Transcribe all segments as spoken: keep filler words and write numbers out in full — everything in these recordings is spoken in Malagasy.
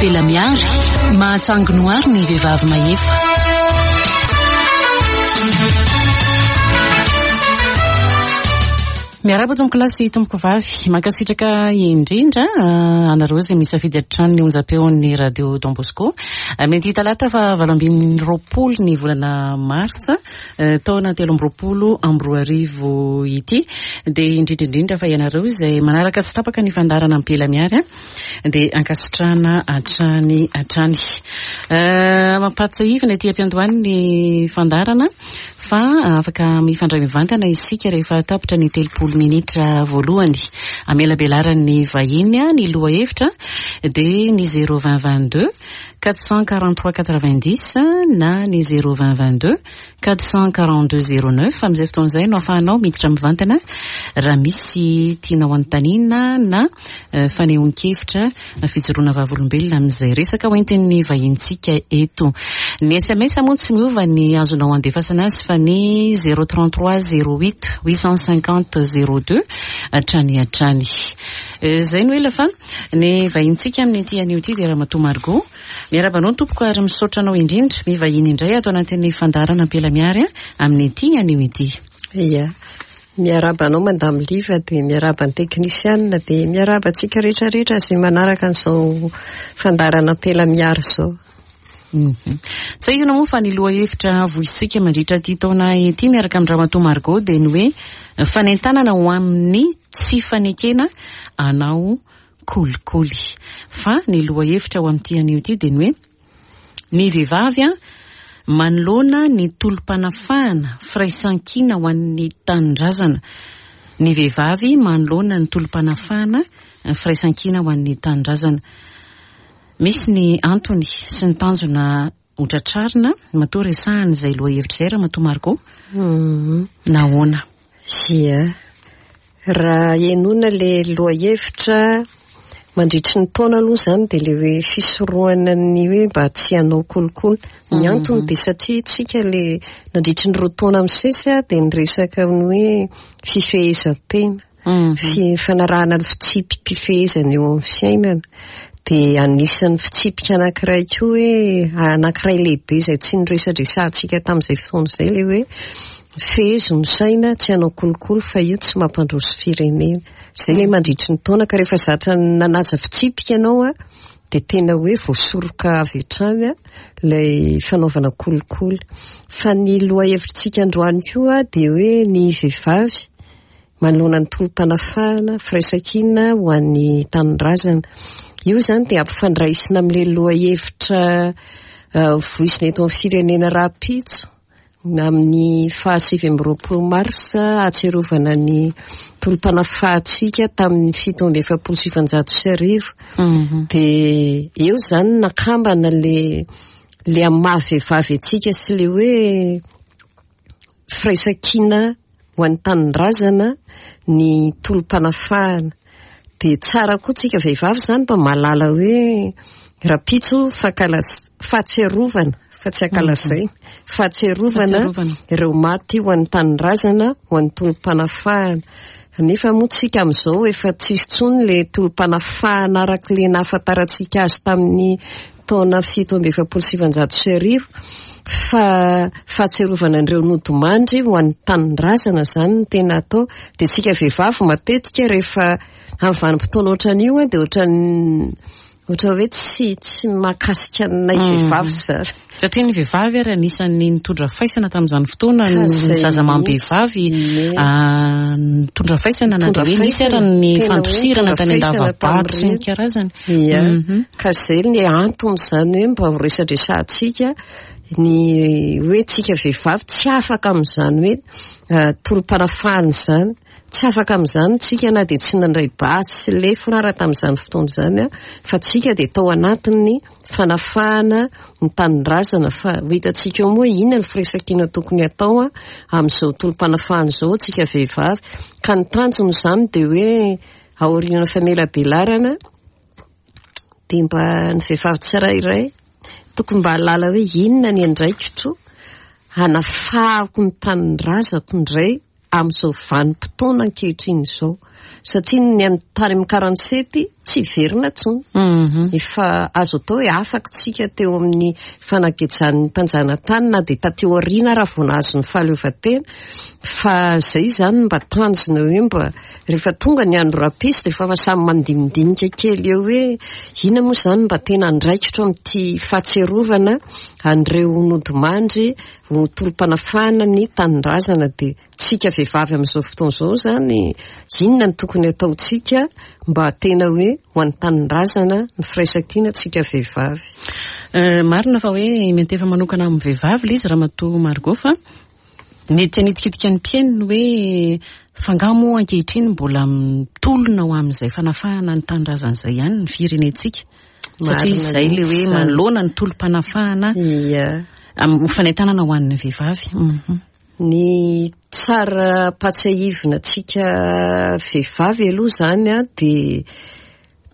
Ampela Miary, mahatsangonoary ny vehivavy mahefa. Miarahaba tompoko lahy sy tompoko vavy, mankasitraka indrindra anareo izay misafidy hatrany ny onjam-peon'ny Radio Don Bosco. Mety talata fa valo ambin'ny roapolo ny volana martsa taona telo amby roapolo amby roa arivo ity. Dia indrindra indrindra fa ianareo izay manaraka tsy tapaka ny fandaharana Ampela Miary dia ankasitrahana hatrany hatrany. Mampahatsiahivina ety am-piandohany ny fandaharana fa afaka mifandray mivantana isika rehefa tapitra ny telopolo minitra voalohany. Amelabelaran'ny vahiny ny lohahevitra dia ny zéro vingt vingt-deux quatre cent quarante-trois quatre-vingt-dix na ny zéro vingt vingt-deux quatre cent quarante-deux zéro neuf. Amin'izay fotoana izay no ahafahanao miditra mivantana raha misy tianao anontaniana na fanehoan-kevitra na fijoroana vavolombelona amin'izay resaka hoentin'ny vahintsika eto. Ny S M S moa tsy miova ny azonao andefasana azy fa ny zéro trente-trois zéro huit huit cent cinquante zéro deux hatrany hatrany. Izay no ela fa ny vahintsika amin'ity anio ity dia Ramatoa Margot. Miarahaba anao tompoko ary misaotra anao indrindra mivahiny indray ato anatin'ny fandaharana Ampela Miary amin'ity anio ity. Ia. Miarahaba anao Madame Liva, dia miarahaba ny teknisianina, dia miarahaba antsika rehetrarehetra izay manaraka an'izao fandaharana Ampela Miary izao. Tsahivina moa fa ny lohahevitra voisika mandritra ity taona ity miaraka amin'ny Ramatoa Margot dia ny hoe fanentanana ho amin'ny tsy fanekena anao kolikoly. Fa ny lohahevitra ho amin'ity anio ity dia ny hoe ny vehivavy manoloana ny tolom-panafahana firaisankina ho an'ny tanindrazana. Ny vehivavy manoloana ny tolom-panafahana firaisankina ho an'ny tanindrazana. Misy ny antony sy ny tanjona hotratrarina matoa resahana izay lohahevitra izay Ramatoa Margot. Nahoana? Ia. Raha henoina le lohahevitra mandritry ny taona aloha izany dia le hoe fisorohana ny hoe mba tsy hanao kolikoly. Ny antony dia satria tsika le nandritry ny roa taona misesy dia niresaka ny hoe fifehezan-tena, fanarahana ny fitsipi-pifehezana eo amin'ny fiainana. Dia anisan'ny fitsipika anankiray koa hoe anankiray lehibe izay tsy niresadresantsika tamin'izay fotoana izay le hoe fehezo ny saina tsy hanao kolikoly fa io tsy mampandroso firenena. Izay le mandritry ny taona ka rehefa zatra nanaja fitsipika ianao dia tena hoe voasoroka avy hatrany ilay fanaovana kolikoly. Fa ny lohahevitsika androany koa dia hoe ny vehivavy manoloana ny tolom-panafahana firaisankina ho an'ny tanindrazana. Io izany dia ampifandraisina amin'ilay lohahevitra voizina eto amin'ny firenena rahampitso amin'ny fahasivy amby roapolo marsa ahatsiarovana ny tolom-panafahantsika tamin'ny fito amby efapolo sy sivinjato sy arivo. Dia eo izany nakambana le le amin'ny maha vehivavy antsika sy le hoe firaisankina ho an'ny tanindrazana ny tolom-panafahana. Dia tsara koa tsika vehivavy izany mba mahalala hoe rahampitso fankalas- fahatsiarovana fa tsy ankalazay, fahatsiarovana ireo maty ho an'ny tanindrazana, ho an'ny tolom-panafahana. Nefa moa tsika amin'izao efa tsisy intsony le tolom-panafahana araka le nahafantarantsika azy tamin'ny taona fito amby efapolo sy sivinjato sy arivo, fa fahatsiarovana an'ireo nodimandry ho an'ny tanindrazana izany no tena atao. Dia tsika vehivavy matetika rehefa amin'ny vanim-potoana ohatran'io dia ohatran'ny ohatra hoe tsy tsy mahakasika anay vehivavy izany. Satria ny vehivavy ary anisan'ny nitondra faisana tamin'izany fotoana, ny zaza amam-behivavy nitondra faisana na dia hoe nisy ary ny fandosirana tany an-dava-bato sy ny karazany. Ia, ka izay ny antony izany hoe mba ho resadresantsika ny hoe tsika vehivavy tsy afaka amin'izany hoe tolom-panafahana izany. Tsy afaka amin'izany tsika na dia tsy nandray basy sy lefona raha tamin'izany fotoana izany, fa tsika dia tao anatin'ny fanafahana ny tanindrazana. Fa ho hitantsika eo moa inona ny firaisankina tokony atao amin'izao tolom-panafahana izao tsika vehivavy. Ka ny tanjona izany dia hoe aorian'ny famelabelarana dia mba ny vehivavy tsirairay tokony mba hahalala hoe inona ny andraikitro hanafahako ny tanindrazako indray amin'izao vanim-potoana ankehitriny izao, satria ny amin'ny tany amin'ny quarante-sept tsy hiverina intsony. Efa azo atao hoe afaka tsika teo amin'ny fanagejan'ny mpanjanatany na dia taty aoriana raha vao nahazo ny fahaleovantena, fa izay izany mba tanjona hoe mba rehefa tonga ny andro rahampitso dia efa samy mandinidinika kely eo hoe inona moa izany mba tena andraikitro amin'ity fahatsiarovana an'ireo nodimandry ho tolom-panafahana ny tanindrazana. Dia tsika vehivavy amin'izao fotoana izao izany inona no tokony ataontsika mba tena hoe ho an'ny tanindrazana ny firaisankina tsika vehivavy. Marina fa hoe miantefa manokana amin'ny vehivavy ilay izy Ramatoa Margot, fa mety hanitikitika ny mpihaino hoe fa angaha moa ankehitriny mbola mitolona ho amin'izay fanafahana ny tanindrazana izay ihany ny firenentsika, satria izay ilay hoe manoloana ny tolom-panafahana amin'ny fanentanana ho an'ny vehivavy. Ny tsara ampahatsiahivina antsika vehivavy aloha izany a dia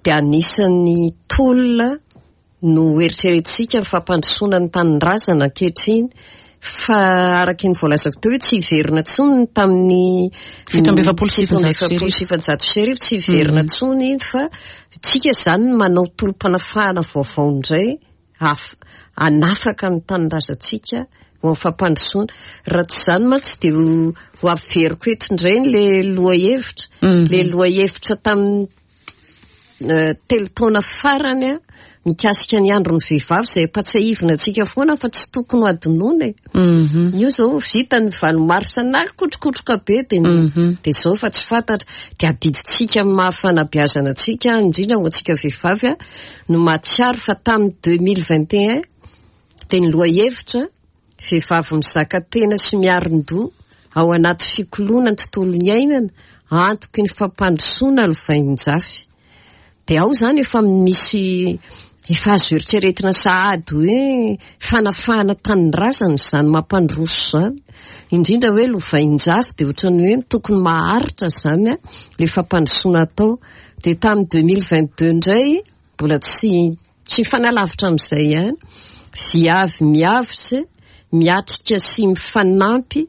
dia anisan'ny tolona no eritreretintsika ny fampandrosoana ny tanindrazana ankehitriny, fa araka ny voalazako teo hoe tsy hiverina intsony tamin'ny fito amby efapolo sy sivinjato sy arivo, tsy hiverina intsony iny, fa tsika izany manao tolom-panafahana vaovao indray hanafaka ny tanindrazantsika ho amin'ny fampandrosoana. Raha tsy izany mantsy dia ho averiko eto indray ilay lohahevitra, ilay lohahevitra tamin'ny telo taona farany a mikasika ny andron'ny vehivavy izay ampahatsiahivina antsika foana fa tsy tokony ho adinoina e. Io izao vita ny valo marsa na kotrokotroka be dia dia izao fa tsy fantatra, dia adidintsika amin'ny maha fanabeazana antsika indrindra ho antsika vehivavy a no mahatsiaro fa tamin'ny deux mille vingt et un dia ny lohahevitra vehivavy mizaka tena sy miarin-doha ao anaty fikoloana ny tontolo iainana antoky ny fampandrosoana lovain-jafy. Dia ao izany efa misy efa azo eritreretina sahady hoe fanafahana tanindrazana izany mampandroso izany, indrindra hoe lovain-jafy dia ohatran'ny hoe tokony maharitra izany a ilay fampandrosoana atao. Dia tamin'ny deux mille vingt deux indray mbola tsy tsy fanalavitra amin'izay ihany, viavy miavotsy miatrika sy mifanampy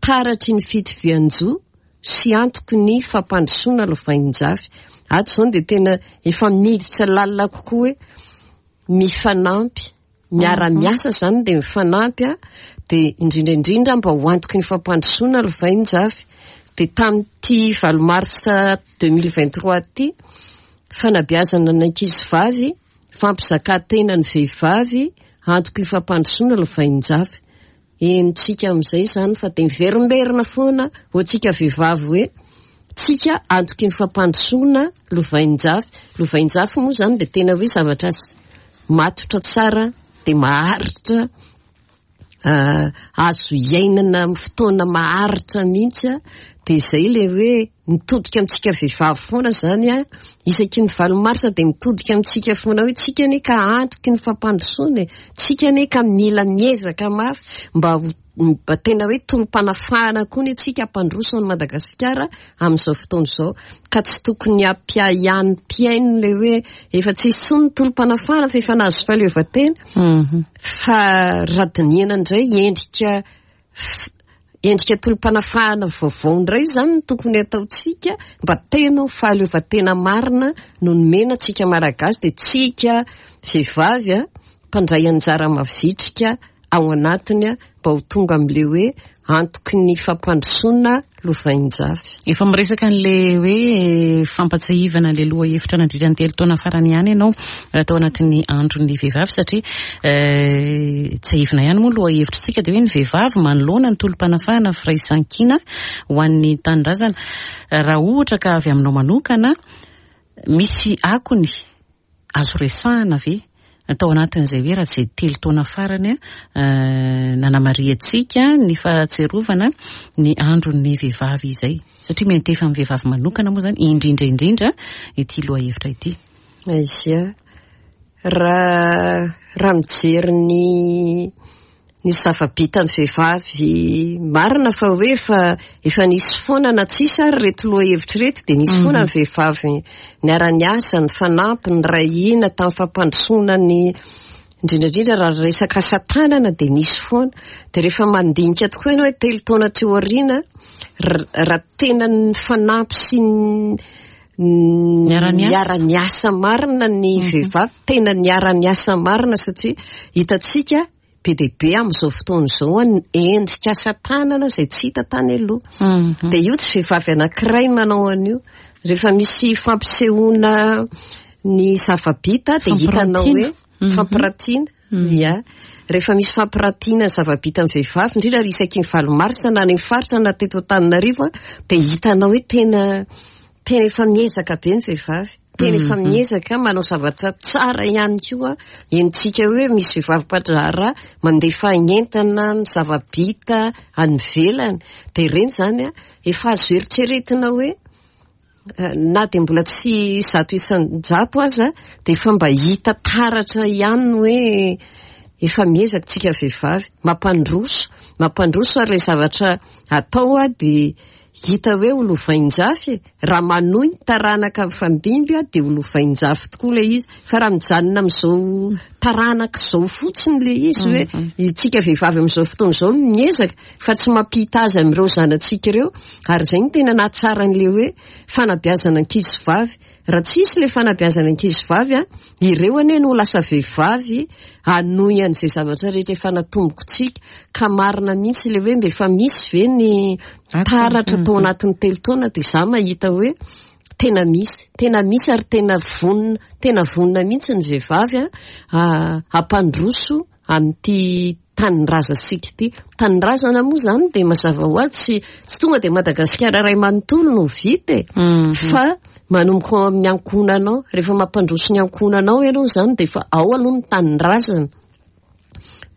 taratry ny fitovian-jo sy antoky ny fampandrosoana lovain-jafy. Ato izao dia tena efa miditra lalina kokoa hoe mifanampy, miara-miasa izany dia mifanampy a, dia indrindra indrindra mba ho antoky ny fampandrosoana lovain-jafy. Dia tamin'ity valo marsa deux mille vingt trois ity, fanabeazana ny ankizy vavy, fampizakatena ny vehivavy, antoky ny fampandrosoana lovain-jafy. Henontsika amin'izay izany fa dia miverimberina foana ho antsika vehivavy hoe tsika antoky ny fampandrosoana lovain-jafy. Lovain-jafy moa izany dia tena hoe zavatra matotra tsara dia maharitra, azo iainana amin'ny fotoana maharitra mihitsy a. Dia izay ilay hoe mitodika amintsika vehivavy foana izany a, isaky ny valo marsa dia mitodika amintsika foana hoe tsika anie ka antoky ny fampandrosoana e, tsika anie ka mila miezaka mafy mba mba tena hoe tolom-panafahana koa ny antsika hampandroso an'i Madagasikara amin'izao fotoana izao, ka tsy tokony hampiahiahy mpihaino ilay hoe efa tsy hisy intsony ny tolom-panafahana fa efa nahazo fahaleovantena. Fa raha dinihana indray endrika endrika tolom-panafahana vaovao indray izany no tokony ataontsika mba tena ho fahaleovantena marina no nomena antsika Malagasy, dia tsika vehivavy a mpandray anjara mavitrika ao anatiny a mba ho tonga amin'ilay hoe antoky ny fampandrosoana lovain-jafy. Efa miresaka an'ilay hoe fampatsiahivana ilay lohahevitra nandritra ny telo taona farany ihany ianao tao anatin'ny andron'ny vehivavy, satria tsiahivina ihany moa lohahevitritsika dia hoe ny vehivavy manoloana ny tolom-panafahana firaisankina ho an'ny tanindrazana. Raha ohatra ka avy aminao manokana misy akony azo resahana ve tao anatin'izay hoe raha tsy telo taona farany nanamarihantsika ny fahatsiarovana ny andron'ny vehivavy izay, satria miantefa amin'ny vehivavy manokana moa izany indrindra indrindra ity lohahevitra ity. Aizia, raha raha mijery ny ny zava-bitan'ny vehivavy marina fa hoe efa efa nisy foana na tsisy ary ireto lohahevitra ireto dia nisy foana ny vehivavy niara-niasa, nifanampy, niray hina tamin'ny fampandrosoana ny Indrindra indrindra raha resaka asa tanana dia nisy foana. Dia rehefa mandinika tokoa ianao hoe telo taona teo aoriana, raha tena nifanampy sy niara-niasa marina ny vehivavy, tena niara-niasa marina, satria hitantsika be dia be amin'izao fotoana izao ny endrika asa tanana izay tsy hita tany aloha. Dia io tsy vehivavy anankiray manao an'io. Rehefa misy fampisehoana ny zava-bita dia hitanao hoe fampiratiana. Ia. Rehefa misy fampiratiana ny zava-bita amin'ny vehivavy, indrindra isaky ny valo marsa na any amin'ny faritra na teto Antananarivo, dia hitanao hoe tena tena efa miezaka be ny vehivavy. Tena efa miezaka manao zavatra tsara ihany koa. Henontsika hoe misy vehivavy mpandraharaha mandefa entana ny zava-bita any ivelany. Dia ireny izany efa azo eritreretina hoe na dia mbola tsy zato isan-jato aza dia efa mba hita taratra ihany hoe efa miezaka tsika vehivavy. Mampandroso, mampandroso ary ilay zavatra atao dia hita hoe ho lovain-jafy. Raha manohy ny taranaka mifandimby dia ho lovain-jafy tokoa ilay izy. Fa raha mijanona amin'izao taranaka izao fotsiny ilay izy hoe itsika vehivavy amin'izao fotoana izao no miezaka fa tsy mampita azy amin'ireo zanatsika ireo. Ary izay no tena nahatsara an'ilay hoe fanabeazana ankizy vavy. Raha tsy hisy ilay fanabeazana ankizy vavy, ireo anie no lasa vehivavy hanohy an'izay zavatra rehetra efa natombokontsika. Ka marina mihitsy ilay hoe mba efa misy ve ny taratra tao anatin'ny telo taona, dia izaho mahita hoe tena misy, tena misy ary tena vonona, tena vonona mihitsy ny vehivavy hampandroso amin'ity tanindrazantsika ity. Tanindrazana moa izany dia mazava ho azy tsy tsy tonga dia Madagasikara iray manontolo no vita e, fa manomboka ao amin'ny ankohonanao. Rehefa mampandroso ny ankohonanao ianao izany dia efa ao aloha ny tanindrazana.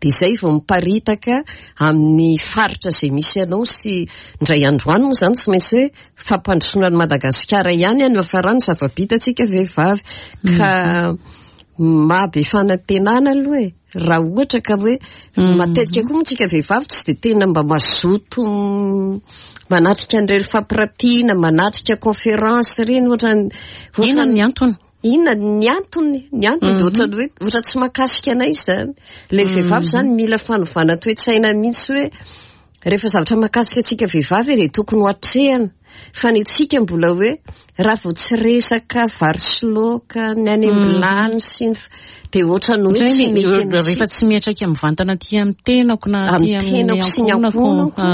Dia izay vao miparitaka amin'ny faritra izay misy anao. Sy indray androany moa izany tsy maintsy hoe fampandrosoana an'i Madagasikara ihany no hafarany zava-bita antsika vehivavy. Ka mahabe fanantenana aloha e. Raha ohatra ka hoe matetika koa moa tsika vehivavy tsy dia tena mba mazoto manatrika an'ireny fampiratiana, manatrika conférence ireny ohatrany. Inona ny antony? Inona ny antony? Ny antony dia ohatrany hoe ohatra tsy mahakasika anay izany. Ilay vehivavy izany mila fanovana toe-tsaina mihitsy hoe rehefa zavatra mahakasika antsika vehivavy dia tokony ho atrehana. Fa ny antsika mbola hoe raha vao tsy resaka vary sy laoka, ny any am-bilany sy ny dia ohatrany hoe tsy mety amintsika. Rehefa tsy miatraika mivantana aty amin'ny tenako na aty amin'ny tenako sy ny ankohonako.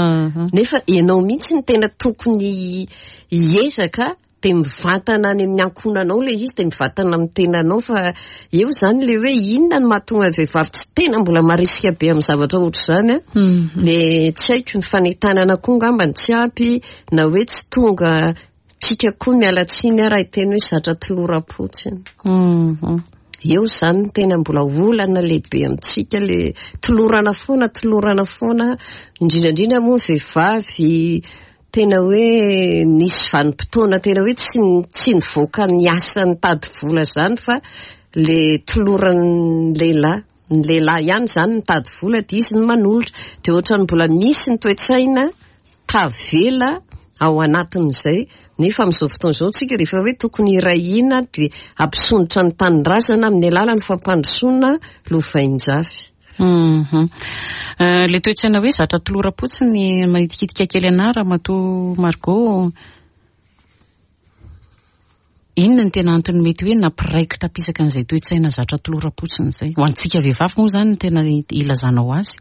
Nefa ianao mihitsy ny tena tokony hiezaka dia mivantana any amin'ny ankohonanao ilay izy, dia mivantana amin'ny tenanao. Fa eo izany ilay hoe inona no mahatonga ny vehivavy tsy tena mbola marisika be amin'ny zavatra ohatr'izany a. Le tsy haiko, ny fanentanana koa angamba ny tsy ampy, na hoe tsy tonga tsika koa miala tsiny raha hiteny hoe zatra toloram-potsiny. Eo izany ny tena mbola olana lehibe amintsika, le tolorana foana, tolorana foana, indrindra indrindra moa ny vehivavy tena hoe nisy vanim-potoana tena hoe tsy tsy nivoaka ny asa nitady vola izany fa le toloran'ny lehilahy. Ny lehilahy ihany izany nitady vola dia izy no manolotra. Dia ohatrany mbola misy ny toe-tsaina tavela ao anatin'izay. Nefa amin'izao fotoana izao tsika dia efa hoe tokony hiray hina dia hampisondrotra ny tanindrazana amin'ny alalan'ny fampandrosoana lovain-jafy. Le toe-tsaina hoe zatra toloram-potsiny manitikitika kely anahy Ramatoa Margot. Inona ny tena antony mety hoe nampiraiko tapisaka an'izay toe-tsaina zatra toloram-potsiny izay? Ho antsika vehivavy moa izany no tena ilazanao azy.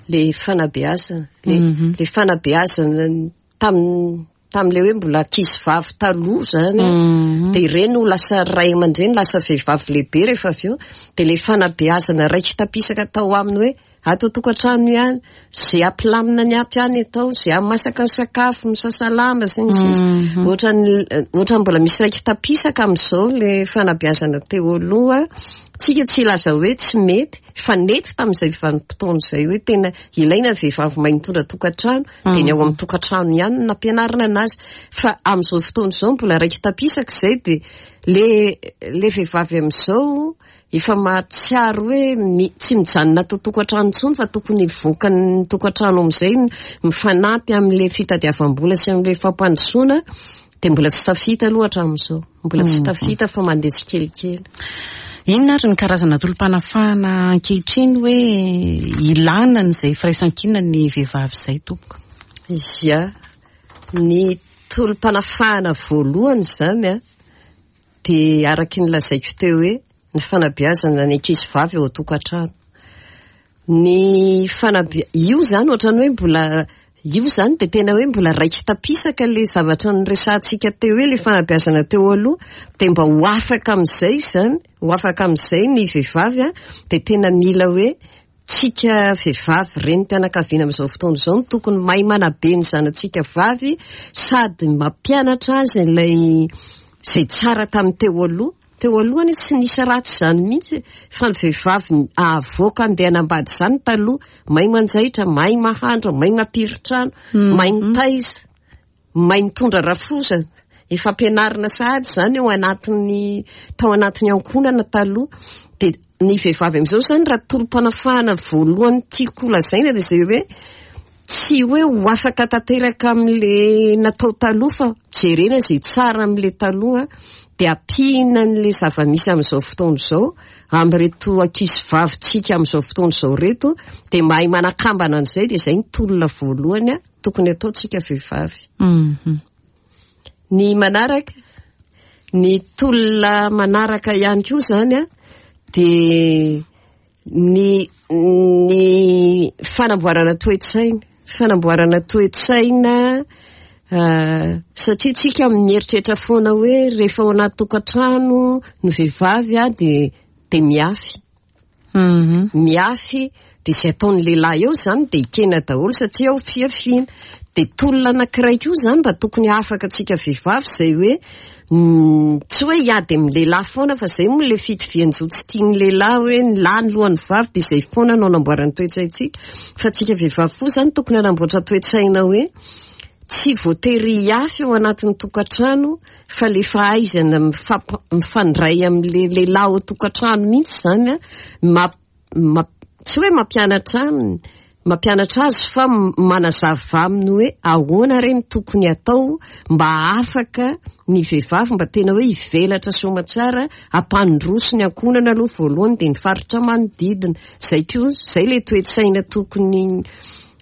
Le fanabeazana, le le fanabeazana tamin'ny tamin'ilay hoe mbola ankizy vavy taloha izany, dia ireny no lasa ray aman-dreny, lasa vehivavy lehibe rehefa avy eo. Dia ilay fanabeazana raiki-tapisaka tao aminy hoe ato an-tokantrano ihany, izay hampilamina ny ato ihany atao, izay hamasaka ny sakafo, misasa lamba sy ny sisa. Ohatrany ohatrany mbola misy raiki-tapisaka amin'izao ilay fanabeazana teo aloha. Tsika tsy hilaza hoe tsy mety, fa nety tamin'izay vanim-potoana izay hoe tena ilaina ny vehivavy mahay mitondra tokantrano, dia ny ao amin'ny tokantrano ihany no nampianarina anazy. Fa amin'izao fotoana izao mbola raiki-tapisaka izay, dia le le vehivavy amin'izao efa mahatsiaro hoe tsy mijanona ato an-tokantrano intsony fa tokony hivoaka ny tokantrano amin'izay, mifanampy amin'ilay fitadiavam-bola sy amin'ilay fampandrosoana. Dia mbola tsy tafita aloha hatramin'izao, mbola tsy tafita fa mandeha tsikelikely. Inona ary ny karazana tolom-panafahana ankehitriny hoe ilana an'izay firaisankina ny vehivavy izay tompoko? Ia, ny tolom-panafahana voalohany izany a, dia araky ny lazaiko teo hoe ny fanabeazana ny ankizy vavy ao an-tokantrano. Ny fanabe- io izany ohatran'ny hoe mbola io izany dia tena hoe mbola raiki-tapisaka ilay zavatra noresahantsika teo hoe ilay fanabeazana teo aloha, dia mba ho afaka amin'izay izany, ho afaka amin'izay ny vehivavy a, dia tena mila hoe tsika vehivavy renim-pianakaviana amin'izao fotoana izao no tokony mahay manabe ny zanatsika vavy sady mampianatra azy ilay izay tsara tamin'ny teo aloha. Teo alohany tsy nisy ratsy izany mihitsy fa ny vehivavy avoaka andeha hanambady izany taloha, mahay manjaitra, mahay mahandro, mahay mampirin-trano, mahay mitaiza, mahay mitondra rafozana. Efa ampianarina sahady izany ao anatin'ny tao anatin'ny ankohonana taloha. Dia ny vehivavy amin'izao izany raha tolom-panafahana voalohany tiako lazaina dia izay hoe tsy hoe ho afaka tanteraka amin'le natao taloha fa jerena izay tsara amin'le taloha, dia ampiana an'le zava-misy amin'izao fotoana izao amin'ireto ankizy vavintsika amin'izao fotoana izao reto, dia mahay manakambana an'izay, dia izay ny tolona voalohany a tokony ataontsika vehivavy. Mhm. Ny manaraka, ny tolona manaraka ihany koa izany a, dia ny, ny fanamboarana toe-tsaina, fanamboarana toe-tsaina, ah, satria tsika mieritreritra foana hoe rehefa ao anaty tokantrano ny vehivavy a dia, dia miafy. Mhm. Miafy, dia izay ataon'ny lehilahy eo izany dia ekena daholo satria ao fiafiana. Dia tolona anankiray koa izany mba tokony afaka antsika vehivavy izay hoe, mm, tsy hoe hiady amin'ny lehilahy foana fa izay moa ilay fitovian-jo tsy tian'ny lehilahy hoe ny lahy ny lohan'ny vavy dia izay foana no anamboaran'ny toe-tsaintsika. Fa antsika vehivavy koa izany tokony hanamboatra toe-tsaina hoe tsy voatery hiafy ao anatin'ny tokantrano fa le fahaizana mifamp-, mifandray amin'le lehilahy ao an-tokantrano mihitsy izany a, ma-, ma-, tsy hoe mampianatra aminy, mampianatra azy fa m-, manazava aminy hoe ahoana re ny tokony atao mba afaka ny vehivavy mba tena hoe hivelatra soamantsara hampandroso ny ankohonana aloha voalohany dia ny faritra manodidina. Izay koa, izay le toe-tsaina tokony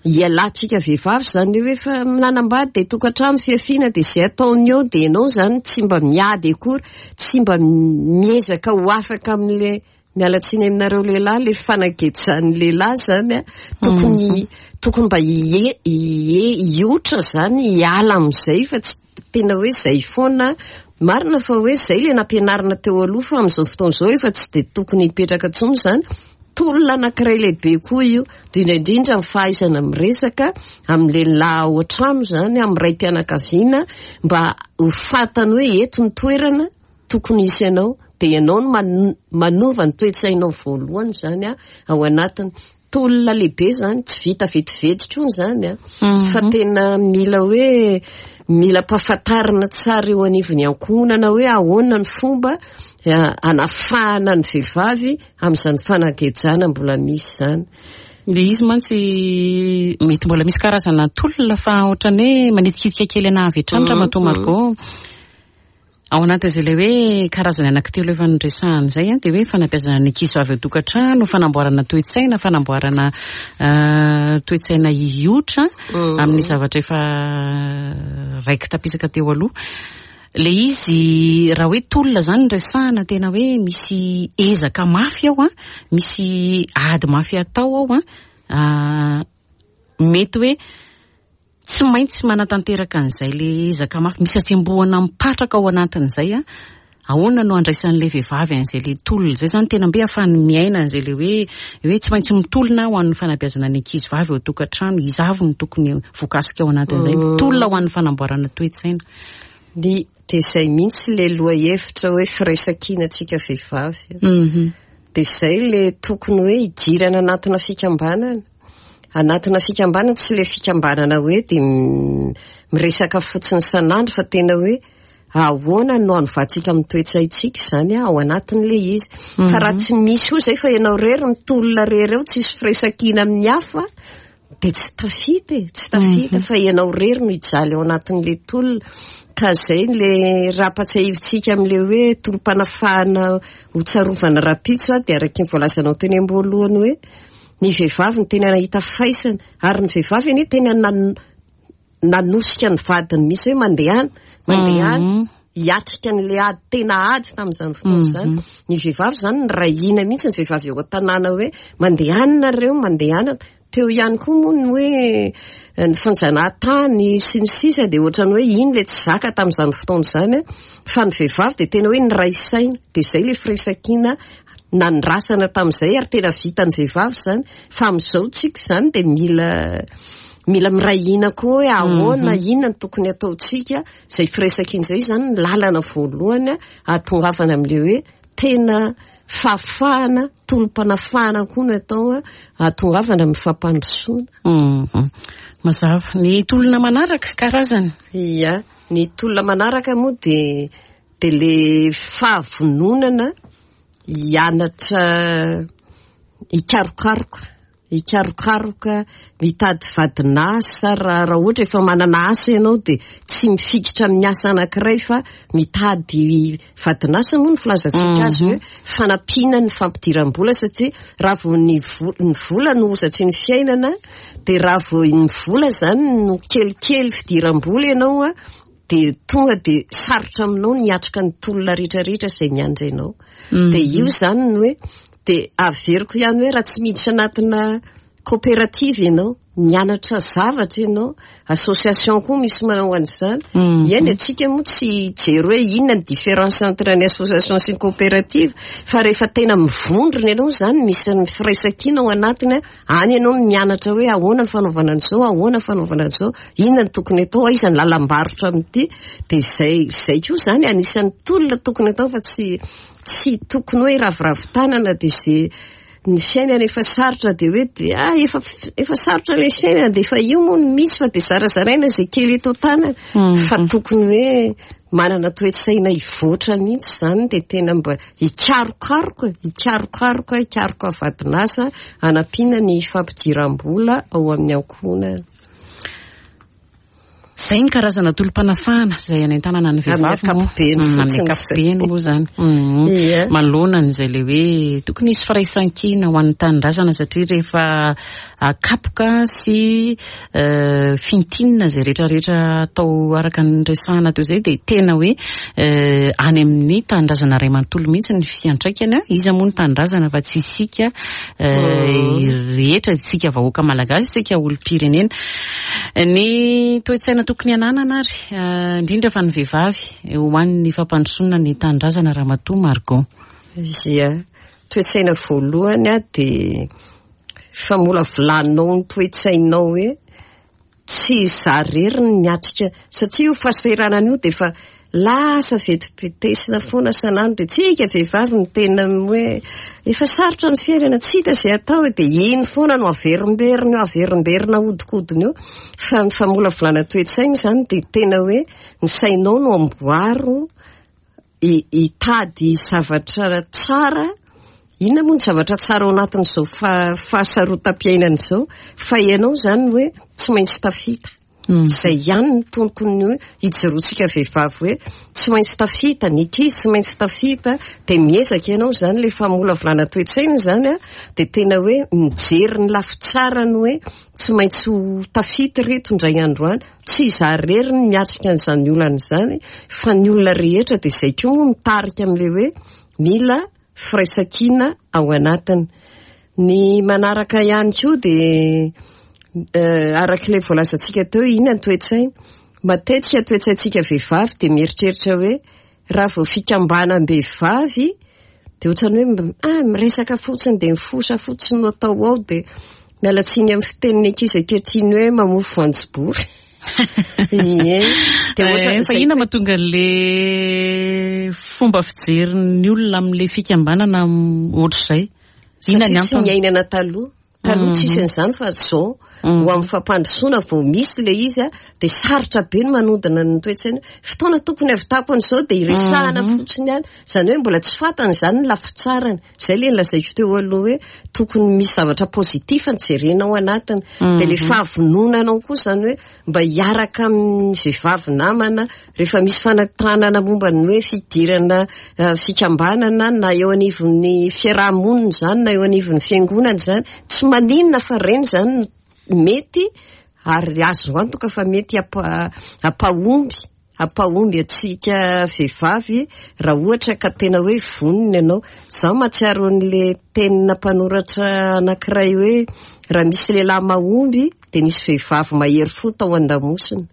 hialantsika vehivavy izany hoe efa nanambady dia tokantrano fiafiana dia izay ataony eo dia ianao izany tsy mba miady akory, tsy mba miezaka ho afaka amin'le, miala tsiny aminareo lehilahy, le fanagejan'ny lehilahy izany a, tokony, tokony mba hie-, hie-, hiotra izany, hiala amin'izay fa tsy tena hoe izay foana. Marina fa hoe izay le nampianarina teo aloha fa amin'izao fotoana izao efa tsy dia tokony hipetraka intsony izany. Tolona anankiray lehibe koa io, indrindra indrindra ny fahaizana miresaka amin'ny lehilahy ao an-trano izany, amin'ny raim-pianakaviana, mba ho fantany hoe eto ny toerana tokony hisy anao, dia ianao no man-, manova ny toe-tsainao voalohany izany a, ao anatiny. Tolona lehibe izany, tsy vita vetivety koa izany a, Mhm. fa tena mila hoe mila ampahafantarina tsara eo anivon'ny ankohonana hoe ahoana ny fomba, eh, hanafahana ny vehivavy amin'izany fanagejana mbola misy izany. Ilay izy mantsy mety mbola misy karazana tolona fa ohatran'ny hoe manitikitika kely anahy avy hatrany Ramatoa Margot. Ao anatin'izay ilay hoe karazany anankitelo efa noresahana izay a, dia hoe fanabeazana ny ankizy vavy an-tokantrano, fanamboarana toe-tsaina, fanamboarana, eh, toe-tsaina hiotra Mm. amin'ny zavatra efa raiki-tapisaka teo aloha. Ilay izy raha hoe tolona izany no resahana, tena hoe misy ezaka mafy ao a, misy ady mafy atao ao a, ah, mety hoe tsy maintsy manatanteraka an'izay le ezaka mafy, misy hatsembohana mipatraka ao anatin'izay a. Ahoana no andraisan'ilay vehivavy an'izay le tolona izay izany, tena mbe ahafahany miaina an'izay le hoe, hoe tsy maintsy mitolona ho an'ny fanabeazana ny ankizy vavy ao an-tokantrano, iza avy no tokony voakasika ao anatin'izay, Mm. mitolona ho an'ny fanamboarana toe-tsaina. Ny dia izay mihitsy le lohahevitra hoe firaisankina antsika vehivavy. Mhm. Dia izay le tokony hoe hidirana anatina fikambanana. Anatina fikambanana, tsy le fikambanana hoe dia m-, miresaka fotsiny isan'andro fa tena hoe ahoana no hanovantsika amin'ny toe-tsaintsika izany ao anatin'ilay izy. Fa raha tsy misy koa izay fa ianao irery mitolona irery eo, tsisy firaisankina amin'ny hafa, de tsy tafita e, tsy tafita fa ianao rery no hijaly ao anatin'le tolona. Ka zay le raha ampatsiahivitsika amin'le hoe tolom-panafahana ho tsarovana rahampitso a, de araky ny voalazanao teny am-boalohany hoe ny vehivavy no tena nahita faisana, ary ny vehivavy anie tena nan- nanosika ny vadiny mihitsy hoe mandehana, mandehana hiatrika an'le ady, tena ady tamin'izany fotoana izany. Ny vehivavy zany nirahina mihitsy, ny vehivavy eo an-tanàna hoe mandehana nareo, mandehana. Teo ihany koa moa ny hoe ny fanjanahantany sy ny sisa, de ohatrany hoe iny le tsy zaka tamin'izany fotoana izany, fa ny vehivavy de tena hoe niray saina, de zay le firaisankina nandrasana tamin'izay, ary tena vitan'ny vehivavy zany. Fa amin'izao tsika zany de mila mila miray hina koa hoe ahoana, inona no tokony ataontsika. Zay firaisankina izay zany ny lalana voalohany ahatongavana amin'le hoe tena fahafahana, tolom-panafahana koa no atao ahatongavana amin'ny fampandrosoana. Mazava. Ny tolona manaraka karazany? Ia, ny tolona manaraka moa de de le fahavononana hianatra hikarokaroka, hikarokaroka, mitady vadin'asa. Raha raha ohatra efa manana asa ianao de tsy mifikitra amin'ny asa anankiray fa mitady vadin'asa moa ny filazantsika azy hoe fanampiana ny fampidiram-bola, satria raha vao ny vo- ny vola no hozatry ny fiainana, de raha vao ny vola zany no kelikely fidiram-bola ianao a, de tonga de sarotra aminao ny hiatrika ny tolona rehetrarehetra izay miandry anao. De io zany no hoe de averiko ihany hoe raha tsy miditra anatina coopérative ianao, mianatra zavatra ianao, association koa misy manao an'izany. Eny, atsika moa tsy hijery hoe inona ny différence entre ny association sy ny coopérative, fa rehefa tena mivondrona ianao zany, misy ny firaisankina ao anatiny, any ianao no mianatra hoe ahoana ny fanaovana an'izao, ahoana ny fanaovana an'izao, inona ny tokony atao, aiza ny lalam-barotra amin'ity. De zay zay koa zany anisan'ny tolona tokony atao, fa tsy tsy tokony hoe raviravy tanana de zay ny fiainana efa sarotra de hoe de ah efa efa sarotra le fiainana de efa io moa no misy fa de zarazaraina zay kely eto tanana, fa tokony hoe manana toe-tsaina hivoatra mihitsy zany, de tena mba hikarokaroka, hikarokaroka, hikaroka vadin'asa hanampiana ny fampidiram-bola ao amin'ny ankohonana. Zay ny karazana tolom-panafahana izay anentanana ny Amin'ny vehivavy moa. ankapobeny Mm, amin'ny fotsiny ankapobeny moa zany. Mm. Ia. Manoloana an'izay le hoe tokony hisy firaisankina ho an'ny tanindrazana, satria rehefa akapoka sy eh, fintinina izay rehetrarehetra atao araka ny resahana teo izay, de tena hoe eh, any amin'ny tanindrazana iray manontolo mihitsy ny fiantraikany. Iza moa ny tanindrazana fa tsy isika eh, rehetra, isika vahoaka malagasy, isika olom-pirenena. Ny toe-tsaina tokony hananana ary eh, indrindra fa ny vehivavy ho an'ny fampandrosoana ny tanindrazana, Ramatoa Margot? Ia, toe-tsaina voalohany a de famolavolanao ny toe-tsainao hoe tsy izaho irery ny miatrika, satria io fahasahiranana io de efa lasa vetipetesina foana sanandro, de tsika vehivavy no tena hoe efa sarotra ny fiainana, tsy hita izay atao, de iny foana no averimberina io, averimberina ahodikodina io. Fa ny famolavolana toe-tsaina zany de tena hoe ny sainao no amboaro hi- hitady zavatra tsara. Inona moa ny zavatra tsara ao anatin'izao fa- fahasarotam-piainana izao? Fa ianao zany hoe tsy maintsy tafita. Izay ihany ny tokony hoe hijoroantsika vehivavy hoe tsy maintsy tafita, ny ankizy tsy maintsy tafita, de miezaka ianao zany. Le famolavolana toe-tsaina zany a de tena hoe mijery ny lafy tsarany hoe tsy maintsy ho tafita ireto indray andro any, tsy izaho irery ny miatrika an'izany olana izany fa ny olona rehetra. De izay koa moa mitarika amin'le hoe mila firaisankina ao anatiny. Ny manaraka ihany koa de eh, arak'ilay voalazantsika teo, inona ny toe-tsaina? Matetika toe-tsaintsika vehivavy de mieritreritra hoe raha vao fikambanam-behivavy de ohatrany hoe mb- ah miresaka fotsiny, de mifosa fotsiny no atao ao, de miala tsiny amin'ny fitenin'ny ankizy ankehitriny hoe mamofo voanjobory. Ie. De ohatra Eh, fa izay inona mahatonga an'le fomba fijerin'ny olona amin'le fikambanana ohatr'izay? Inona ny Satria tsy antony? niainana taloha. Taloha tsisy an'izany fa zao ho amin'ny fampandrosoana vao misy le izy a, de sarotra be ny manodina ny toe-tsaina. Fotoana tokony havitako an'izao de iresahana fotsiny ihany, zany hoe mbola tsy fantany zany ny lafitsarany. Zay le nolazaiko teo aloha hoe tokony misy zavatra positif ny jerena ao anatiny, de le fahavononanao koa zany hoe mba hiaraka amin'ny vehivavy namana rehefa misy fanentanana momba ny hoe fidirana fikambanana na eo anivon'ny fiarahamonina zany na eo anivon'ny fiangonana zany, tsy maninona fa reny zany mety ary azo antoka fa mety hampa- hampahomby hampahomby antsika vehivavy raha ohatra ka tena hoe vonona ianao. Zaho mahatsiaro an'le tenina mpanoratra anankiray hoe raha misy lehilahy mahomby de nisy vehivavy mahery fo tao an-damosina.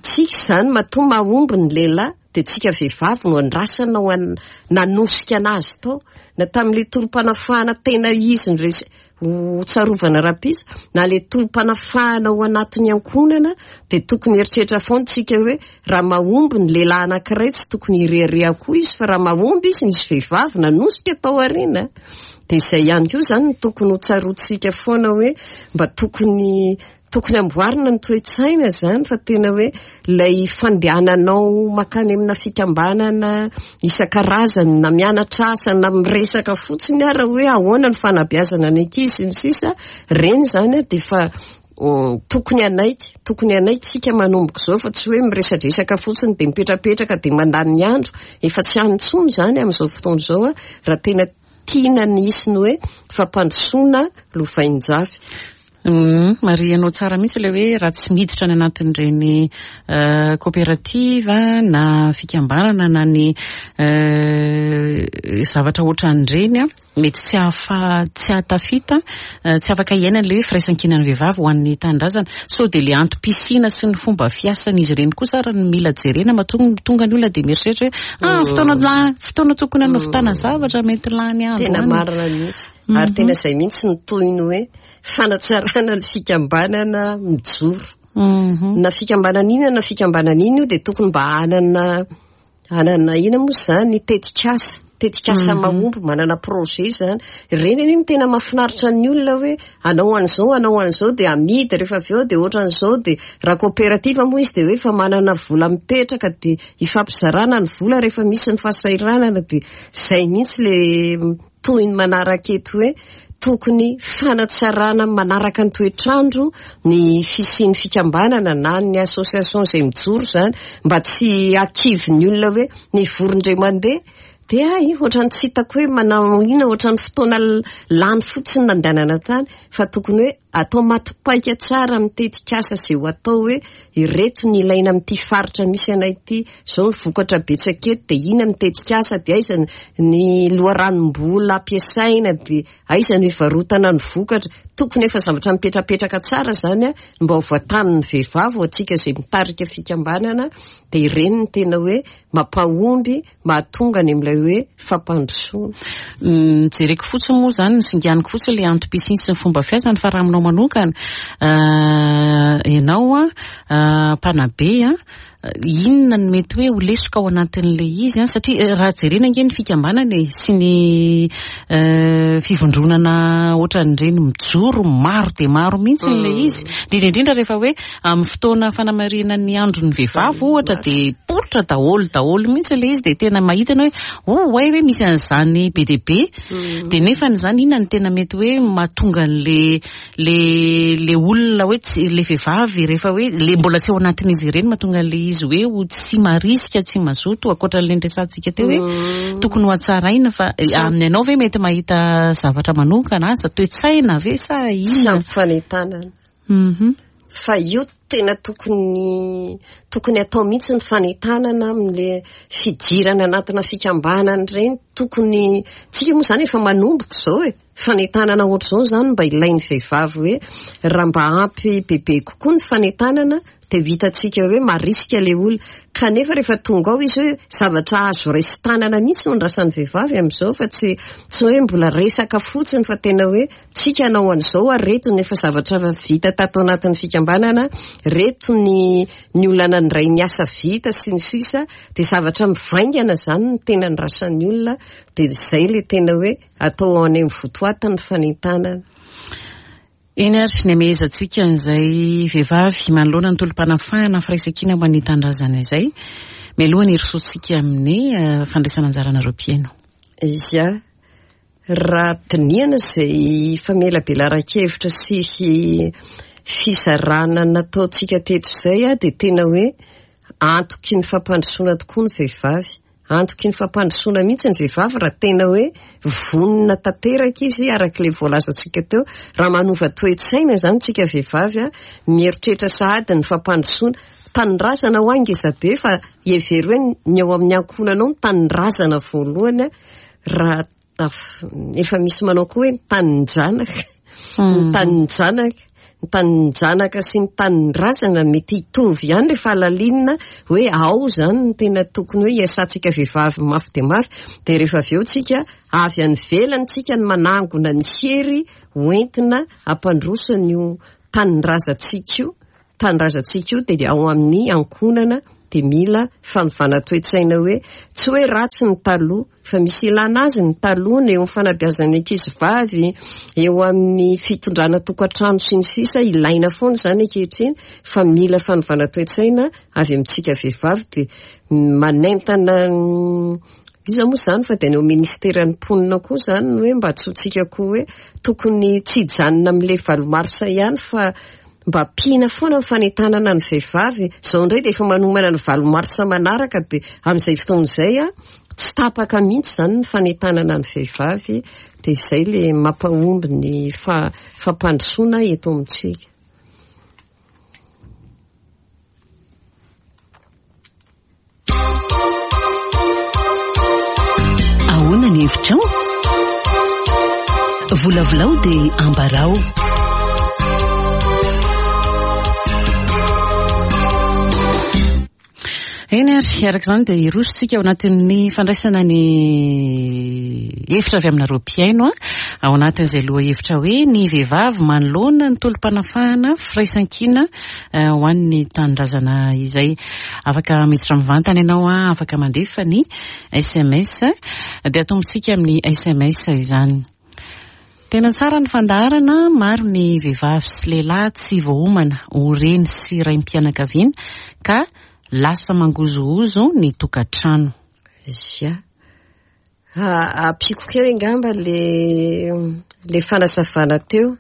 Tsika zany matoa mahomby ny lehilahy de tsika vehivavy no andrasana ho an- nanosika anazy tao, na tamin'le tolom-panafahana tena izy ny res- ho tsarovana rahampitso, na le tolom-panafahana ao anatin'ny ankohonana, de tokony eritreritra foana tsika hoe raha mahomby ny lehilahy anankiray tsy tokony hirehareha koa izy, fa raha mahomby izy nisy vehivavy nanosika tao aoriana. De izay ihany koa zany no tokony ho tsaroantsika foana hoe mba tokony tokony amboarina ny toe-tsaina zany, fa tena hoe ilay fandehananao makany amina fikambanana isan-karazany na mianatra asa na miresaka fotsiny ara hoe ahoana ny fanabeazana ny ankizy sy ny sisa, reny zany a de efa tokony hanaiky, tokony hanaiky tsika manomboka izao fa tsy hoe miresadresaka fotsiny de mipetrapetraka de mandany andro, efa tsy any intsony zany amin'izao fotoana izao a, raha tena tiana ny hisy ny hoe fampandrosoana lovain-jafy. Marihanao tsara mihitsy ilay hoe raha tsy miditra any anatin'ireny coopérative na fikambanana na ny zavatra ohatran'ireny a, mety tsy ahafa tsy ahatafita, tsy afaka hiainana ilay hoe firaisankinan'ny vehivavy ho an'ny tanindrazana. Sao dia ilay antom-pisiana sy ny fomba fiasan'izy ireny kosa ary no mila jerena, matoa tonga ny olona dia mieritreritra hoe ah, fotoana la- fotoana tokony hanovitana zavatra mety lany andro Tena any. marina mihitsy. Ary tena izay mihitsy ny tohiny hoe fanatsarana ny fikambanana mijoro. Na fikambanana inona na fikambanana inona io dia tokony mba hanana hanana inona moa zany tetikasa, tetikasa mahomby, manana projet zany. Ireny anie no tena mahafinaritra ny olona hoe hanao an'izao, hanao an'izao dia amidy rehefa avy eo dia ohatran'izao, dia raha coopérative moa izy dia hoe efa manana vola mipetraka dia ifampizarana ny vola rehefa misy ny fahasahiranana, dia izay mihitsy le tohiny manaraka eto hoe tokony fanatsarana manaraka ny toetrandro ny fisian'ny fikambanana na ny association izay mijoro zany, mba tsy hakivy ny olona hoe ny vorondray mandeha dia ay ohatran'ny tsy hitako hoe manao inona, ohatran'ny fotoana lany fotsiny nandehanana tany, fa tokony hoe atao matipaika tsara amin'ny tetikasa izay ho atao hoe ireto ny ilaina amin'ity faritra misy anay ity, izao ny vokatra betsaka eto, dia inona ny tetikasa, dia aiza ny loharanom-bola ampiasaina, dia aiza ny hivarotana ny vokatra. Tokony efa zavatra mipetrapetraka tsara zany a, mba ho voatanin'ny vehivavy ho antsika izay mitarika fikambanana, dia ireny ny tena hoe mampahomby, mahatonga any amin'ilay hoe fampandrosoana. Jereko fotsiny moa zany, ny singaniko fotsiny ilay antom-pisiany sy ny fomba fiasany, fa raha aminao manokana, ianao a, mpanabe a, inona no mety hoe ho lesoka ao anatin'ilay izy a, satria raha jerena ange ny fikambanana e, sy ny fivondronana ohatran'ireny mijoro maro dia maro mihitsy ilay izy, indrindra indrindra rehefa hoe amin'ny fotoana fanamarihana ny andron'ny vehivavy ohatra dia poritra daholo daholo mihitsy ilay izy, dia tena mahita ianao hoe oh ay hoe misy an'izany be dia be, dia nefa izany inona no tena mety hoe mahatonga an'le le le olona hoe tsy le vehivavy rehefa hoe le mbola tsy ao anatin'izy ireny mahatonga an'le izy hoe ho tsy marisika, tsy mazoto, ankoatra an'ilay niresahantsika teo hoe tokony ho hatsaraina, fa amin'ny anao ve mety mahita zavatra manokana asa toe-tsaina ve sa Tsy inona? ampy fanentanana. Fa io tena tokony tokony atao mihitsy ny fanentanana amin'le fidirana anatina fikambanana ireny, tokony tsika moa zany efa manomboka izao e, fanentanana ohatr'izao zany mba ilain'ny vehivavy hoe raha mba ampy bebe kokoa ny fanentanana dia ho hitantsika hoe marisika ilay olona, kanefa rehefa tonga ao izy hoe zavatra azo raisin-tanana mihitsy no andrasan'ny vehivavy amin'izao, fa tsy tsy hoe mbola resaka fotsiny, fa tena hoe tsika hanao an'izao ary reto ny efa zavatra vita tato anatin'ny fikambanana, reto ny ny olona nandray ny asa vita sy ny sisa, dia zavatra mivaingana zany no tena andrasan'ny olona, dia izay ilay tena hoe atao any amin'ny votoatiny ny fanentanana. Eny ary, ny amehezantsika an'izay vehivavy manoloana ny tolom-panafahana firaisankina ho an'ny tanindrazana izay, mialoha ny hirosoantsika amin'ny fandraisana anjaranareo mpihaino. Ia, raha dinihana izay famelabelaran-kevitra sy fizarana nataontsika teto izay, dia tena hoe antoky ny fampandrosoana tokoa ny vehivavy. Antoky ny fampandrosoana mihitsy ny vehivavy raha tena hoe vonona tanteraka izy araka ilay voalazantsika teo. Raha manova toe-tsaina izany tsika vehivavy, mieritreritra sahady ny fampandrosoana. Tanindrazana ho angeza be fa hevero hoe ny ao amin'ny ankohonanao ny tanindrazana voalohany, raha efa misy manao koa hoe ny tanin-janaka. Ny tanin-janaka. Ny tanin-janaka sy ny tanindrazana mety hitovy ihany rehefa halalinina hoe ao izany no tena tokony hoe hiasantsika vehivavy mafy dia mafy. Dia rehefa avy eo tsika avy any ivelany tsika ny manangona ny hery hoentina hampandroso an'io tanindrazantsika io. Tanindrazantsika io dia ao amin'ny ankohonana dia mila fanovana toe-tsaina hoe tsy hoe ratsy ny taloha fa misy ilana azy ny taloha eo amin'ny fanabeazana ankizy vavy, eo amin'ny fitondrana tokantrano sy ny sisa, ilaina foana izany ankehitriny fa mila fanovana toe-tsaina avy amintsika vehivavy. Dia manentana iza moa izany fa dia ny eo ministeran'ny mponina koa izany ny hoe mba tsy ho tsika koa hoe tokony tsy hijanona amin'ilay valo marsa ihany fa mba ampiana foana ny fanentanana ny vehivavy. Izao indray dia efa manomana ny valo marsa manaraka, dia amin'izay fotoana izay a tsy tapaka mihitsy izany ny fanentanana ny vehivavy. Dia izay ilay mampahomby ny fa-, fampandrosoana eto amintsika. Ahoana ny hevitrao? Volavolao dia ambarao. Eny ary, araka izany dia hirosontsika ao anatin'ny fandraisana ny hevitra avy aminareo mpihaino, ao anatin'izay lohahevitra hoe ny vehivavy manoloana ny tolom-panafahana firaisankina ho an'ny tanindrazana izay. Afaka miditra mivantana ianao, afaka mandefa ny S M S, dia atombontsika amin'ny S M S izany. Tena tsara ny fandaharana, maro ny vehivavy sy lehilahy tsy voaomana ho reny sy raim-pianakaviana ka lasa mangozohozo ny tokantrano. Ia. Ampiako kely angamba le, le fanazavana teo.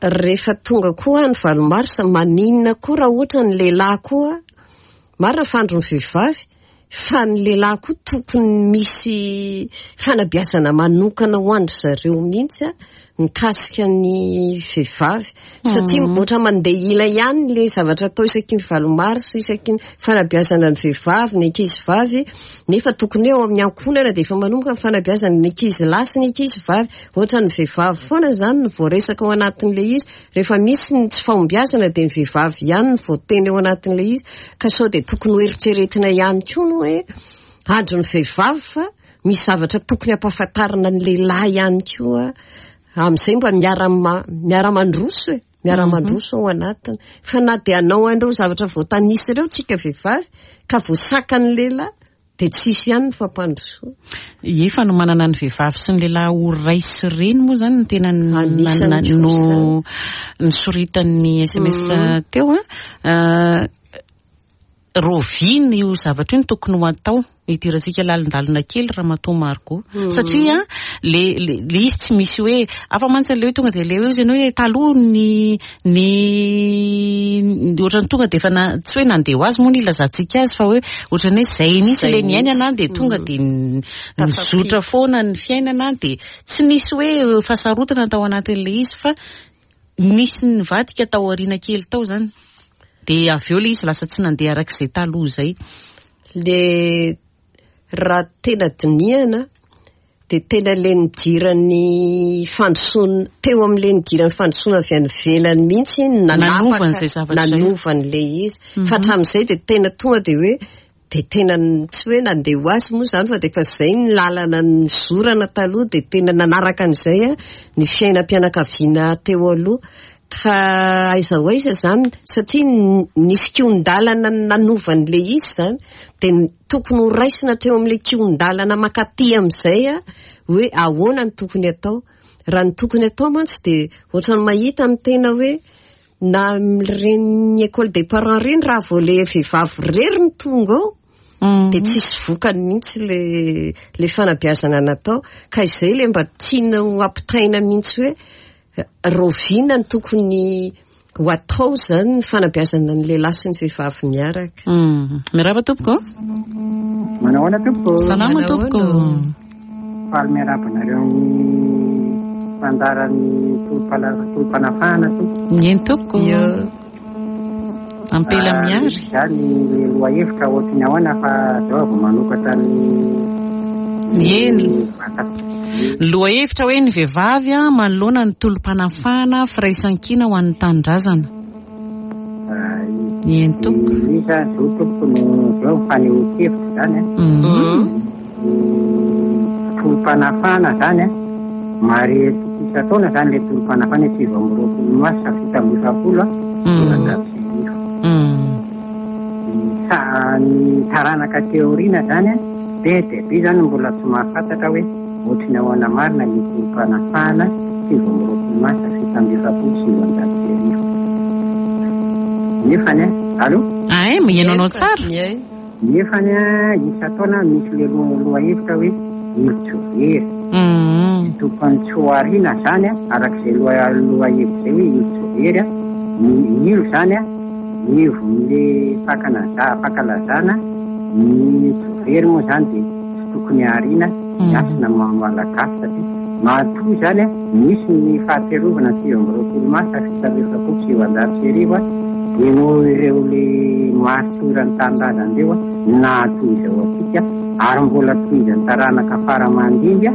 Rehefa tonga koa ny valo marsa, maninona koa raha ohatra ny lehilahy koa, marina fa andron'ny vehivavy, fa ny lehilahy koa tokony misy fanabeazana manokana ho an-dry zareo mihitsy a, mikasika ny vehivavy. Satria Mm. ohatra mandeha ila ihany le zavatra atao isaky ny valo marsa, isaky ny fanabeazana ny vehivavy, ny ankizy vavy, nefa tokony hoe ao amin'ny ankohonana dia efa manomboka ny fanabeazana ny ankizy lahy sy ny ankizy vavy. Ohatra ny vehivavy foana izany no voaresaka ao anatin'ilay izy. Rehefa misy ny tsy fahombiazana dia ny vehivavy ihany no voateny ao anatin'ilay izy. Ka sao dia tokony ho eritreretina ihany koa ny hoe andron'ny vehivavy fa misy zavatra tokony hampahafantarina ny lehilahy ihany koa. Amin'izay mba miara-ma-, miara-mandroso e, miara-mandroso ao anatiny. Fa na dia hanao an'ireo zavatra voatanisa ireo tsika vehivavy ka voasakan'ny lehilahy dia tsisy ihany ny fampandrosoana. Ie, fa no manana ny vehivavy sy ny lehilahy ho ray sy reny moa izany no tena n-, Anisan'ny na-, koa no izany. nisoritan'ny S M S Mm. teo a. Euh, Roviana io zavatra io no tokony ho atao, hidirantsika lalindalina kely Ramatoa Margot. Mm. Satria le, le, le izy tsy misy hoe afa mantsy le hoe tonga dia le hoe izy ianao hoe taloha ny, ny, ny ohatran'ny tonga dia efa na, tsy hoe nandeha ho azy moa ny ilazantsika azy fa hoe ohatran'ny hoe zay mihitsy Zay le niainana mihitsy. dia tonga Mm. dia n-, Tafapika. nizotra foana ny fiainana dia tsy nisy hoe fahasarotana tao anatin'ilay izy fa nisy nivadika tao aoriana kely tao zany. Dia avy eo ilay izy lasa tsy nandeha arak'izay taloha izay. Le raha tena dinihana dia tena le nidiran'ny fandrosoana, teo amin'ilay nidiran'ny fandrosoana avy any ivelany mihitsy no nanapaka, Nanova an'izay zavatra izay. nanova an'ilay izy. Mhm. Fa hatramin'izay dia tena tonga dia hoe dia tena n-, tsy hoe nandeha ho azy moa izany fa dia efa izay ny lalana nizorana taloha dia tena nanaraka an'izay a, ny fiainam-pianakaviana teo aloha. Ka aiza ho aiza zany, satria nisy kihon-dalana nanovan'le izy zany, dia tokony ho raisina teo amin'le kihon-dalana mankaty amin'izay a, hoe ahoana ny tokony atao. Raha ny tokony atao mantsy dia ohatran'ny mahita ny tena hoe na amin'ireny école des parents ireny, raha vao le vehivavy irery no tonga ao, dia tsisy vokany mihitsy le le fanabeazana natao. Ka izay le mba tiana ho ampitaina mihitsy hoe rahoviana ny tokony ho atao zany ny fanabeazana ny lehilahy sy ny vehivavy miaraka. Miarahaba tompoko. Manao ahoana tompoko? Salama tompoko. Faly miarahaba anareo amin'ny fandaharan'ny tolom-panafahana tompoko. Eny tompoko. Ampela miary. Zany le lohahevitra ohatry ny ahoana fa zao vao manokatra ny Eny. Lohahevitra hoe ny vehivavy a manoloana ny tolom-panafahana firaisankina ho an'ny tanindrazana. Eny tompoko. Izy zao tompoko no zao fanehoan-kevitra zany a. Tolom-panafahana zany a, marihitsika isan-taona zany le tolom-panafahana sivy amby roapolo marsa fito amby efapolo a, sivanjato sy arivo. Sa ny taranaka teorina zany a, be dia be zany mbola tsy mahafantatra hoe ohatry ny ahoana marina ny tolom-panafahana sivy amby roapolo marsa fito amby efapolo sivanjato sy arivo. Nefany a, allo? Ay, mihaino anao tsara. Nefany a, isan-taona misy le lohahevitra hoe ilo tsy very. Tokony tsy ho ariana zany a, arak'izay lohahevitra zay hoe ilo tsy very a, ny ilo zany a, ivon'le fankalaza- fankalazana ny tsy very moa zany dia tsy tokony ariana ny hasina maha malagasy satria matoa zany a, misy ny fahatsiarovana sivy amby roapolo marsa fito amby efapolo sivanjato sy arivo a, dia noho ireo le maritoran'ny tanindrazana ireo a, nahatoy izao antsika ary mbola tohizan'ny taranaka fara aman-dimby a,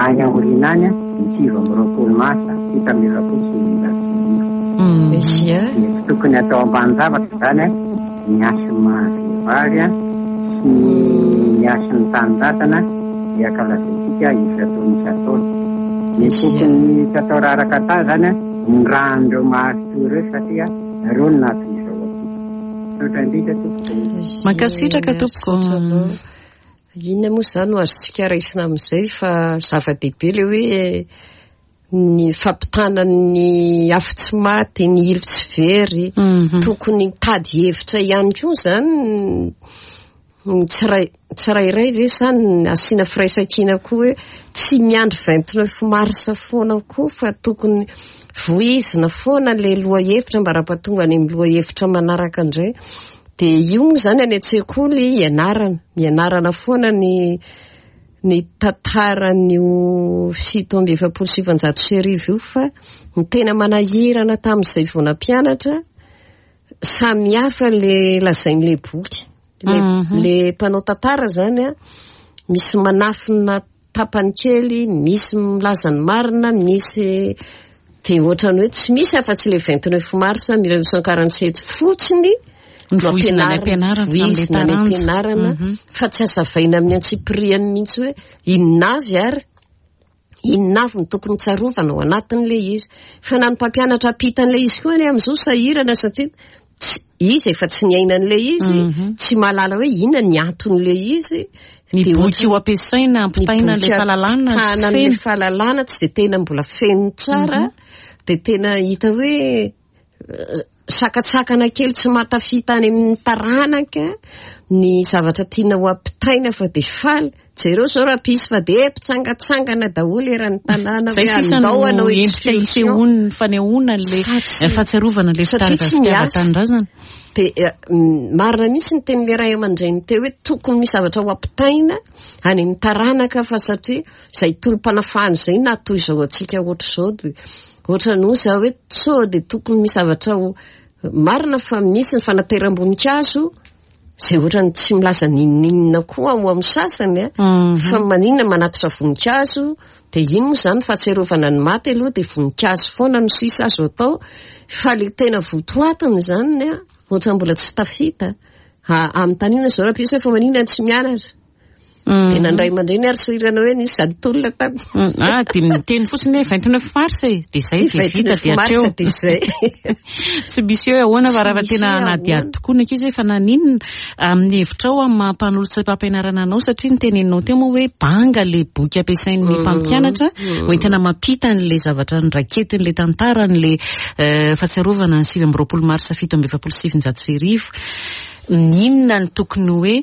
any aoriana any a, ny sivy amby roapolo marsa fito amby efapolo sivanjato sy arivo. Dia tsy tokony atao ambany zavatra zany a, ny hasin'ny maha-vehivavy a, sy ny hasin'ny tanindrazana dia ankalazaintsika isan-taona isan-taona. Ny tokony tsy atao raraka tany zany a, ny ràn'ireo maritoa ireo satria ireo no nahatoy izao antsika. Misaotra indrindra tompoko. Mankasitraka tompoko. Inona moa zany no azontsika raisina amin'izay, fa zava-dehibe le hoe ny fampitana ny afo tsy maty, ny ilo tsy very. Tokony mitady hevitra ihany koa zany ny tsiray tsirairay ve zany asiana firaisankina koa hoe tsy miandry vingt-neuf mars foana koa fa tokony voizina foana le lohahevitra mba raha-pahatonga any amin'ny lohahevitra manaraka indray. Dia io moa zany any an-tsekoly ianarana, ianarana foana ny ny tantaran'io fito amby efapolo sivanjato sy arivo io, fa ny tena manahirana tamin'izay vao nampianatra samy hafa le lazain'le boky. Le, le mpanao tantara zany a, misy manafina tapany kely, misy milaza ny marina, misy dia ohatrany hoe tsy misy afa-tsy le vingt-neuf mars mille neuf cent quarante-sept fotsiny Ny voizina any am-pianarana, voizina any amin'ilay taranja. am-pianarana, fa tsy azavaina amin'ny antsipiriany mihitsy hoe inona avy ary inona avy ny tokony tsarovana ao anatin'le izy. Fa na ny mpampianatra ampita an'ilay izy koa anie amin'izao sahirana satria tsy izy efa tsy niaina an'ilay izy, tsy mahalala hoe inona ny anton'ilay izy. Ny Dia boky io ampiasaina ampitaina ny ilay boky fahalalana tsy ampitana an'ilay feno. fahalalana tsy dia tena mbola feno tsara, dia tena hita hoe eh, sakatsakana kely tsy mahatafita any amin'ny taranaka ny zavatra tiana ho ampitaina, fa dia faly jereo zao raha pisy fa dia mpitsangatsangana daholo eran'ny tanàna Zay hoe sisa andao no hanao endrika excursion. isehoan'ny fanehoana le Fa tsy- fahatsiarovana le satria tsy miasa. fitiavan-tanindrazana. Dia eh, mm, marina mihitsy ny tenin'le ray aman-dreny teo hoe tokony misy zavatra ho ampitaina any amin'ny taranaka, fa satria izay tolom-panafahana izay na toy izao antsika ohatr'izao, dia ohatrany hoy za hoe sao dia tokony misy zavatra ho marina, fa misy ny fanateram-boninkazo izay ohatrany tsy milaza n'inon'inona koa ao amin'ny sasany a, fa maninona manatitra voninkazo, dia iny moa zany fahatsiarovana ny maty aloha dia voninkazo foana no sisa azo atao, fa le tena votoatiny zany a ohatrany mbola tsy tafita. Anontaniana zao raha pisy hoe fa maninona tsy mianatra. Dia nandray aman-dreny ary soirana hoe nisy zany tolona tany. Ah, dia miteny fotsiny hoe vingt-neuf mars e, dia izay dia vita dia hatreo. Dia izay. Tsy misy hoe ahoana fa raha tena hanadihady tokoa ny ankizy hoe fa naninona amin'ny hevitrao amin'ny maha mpanolotsaim-pampianarana anao, satria ny teneninao teo moa hoe banga ilay boky ampiasain'ny mpampianatra hoentina mampita an'ilay zavatra noraketin'ilay tantara an'ilay fahatsiarovana ny sivy amby roapolo marsa fito amby efapolo sy sivinjato sy arivo. N'inona no tokony hoe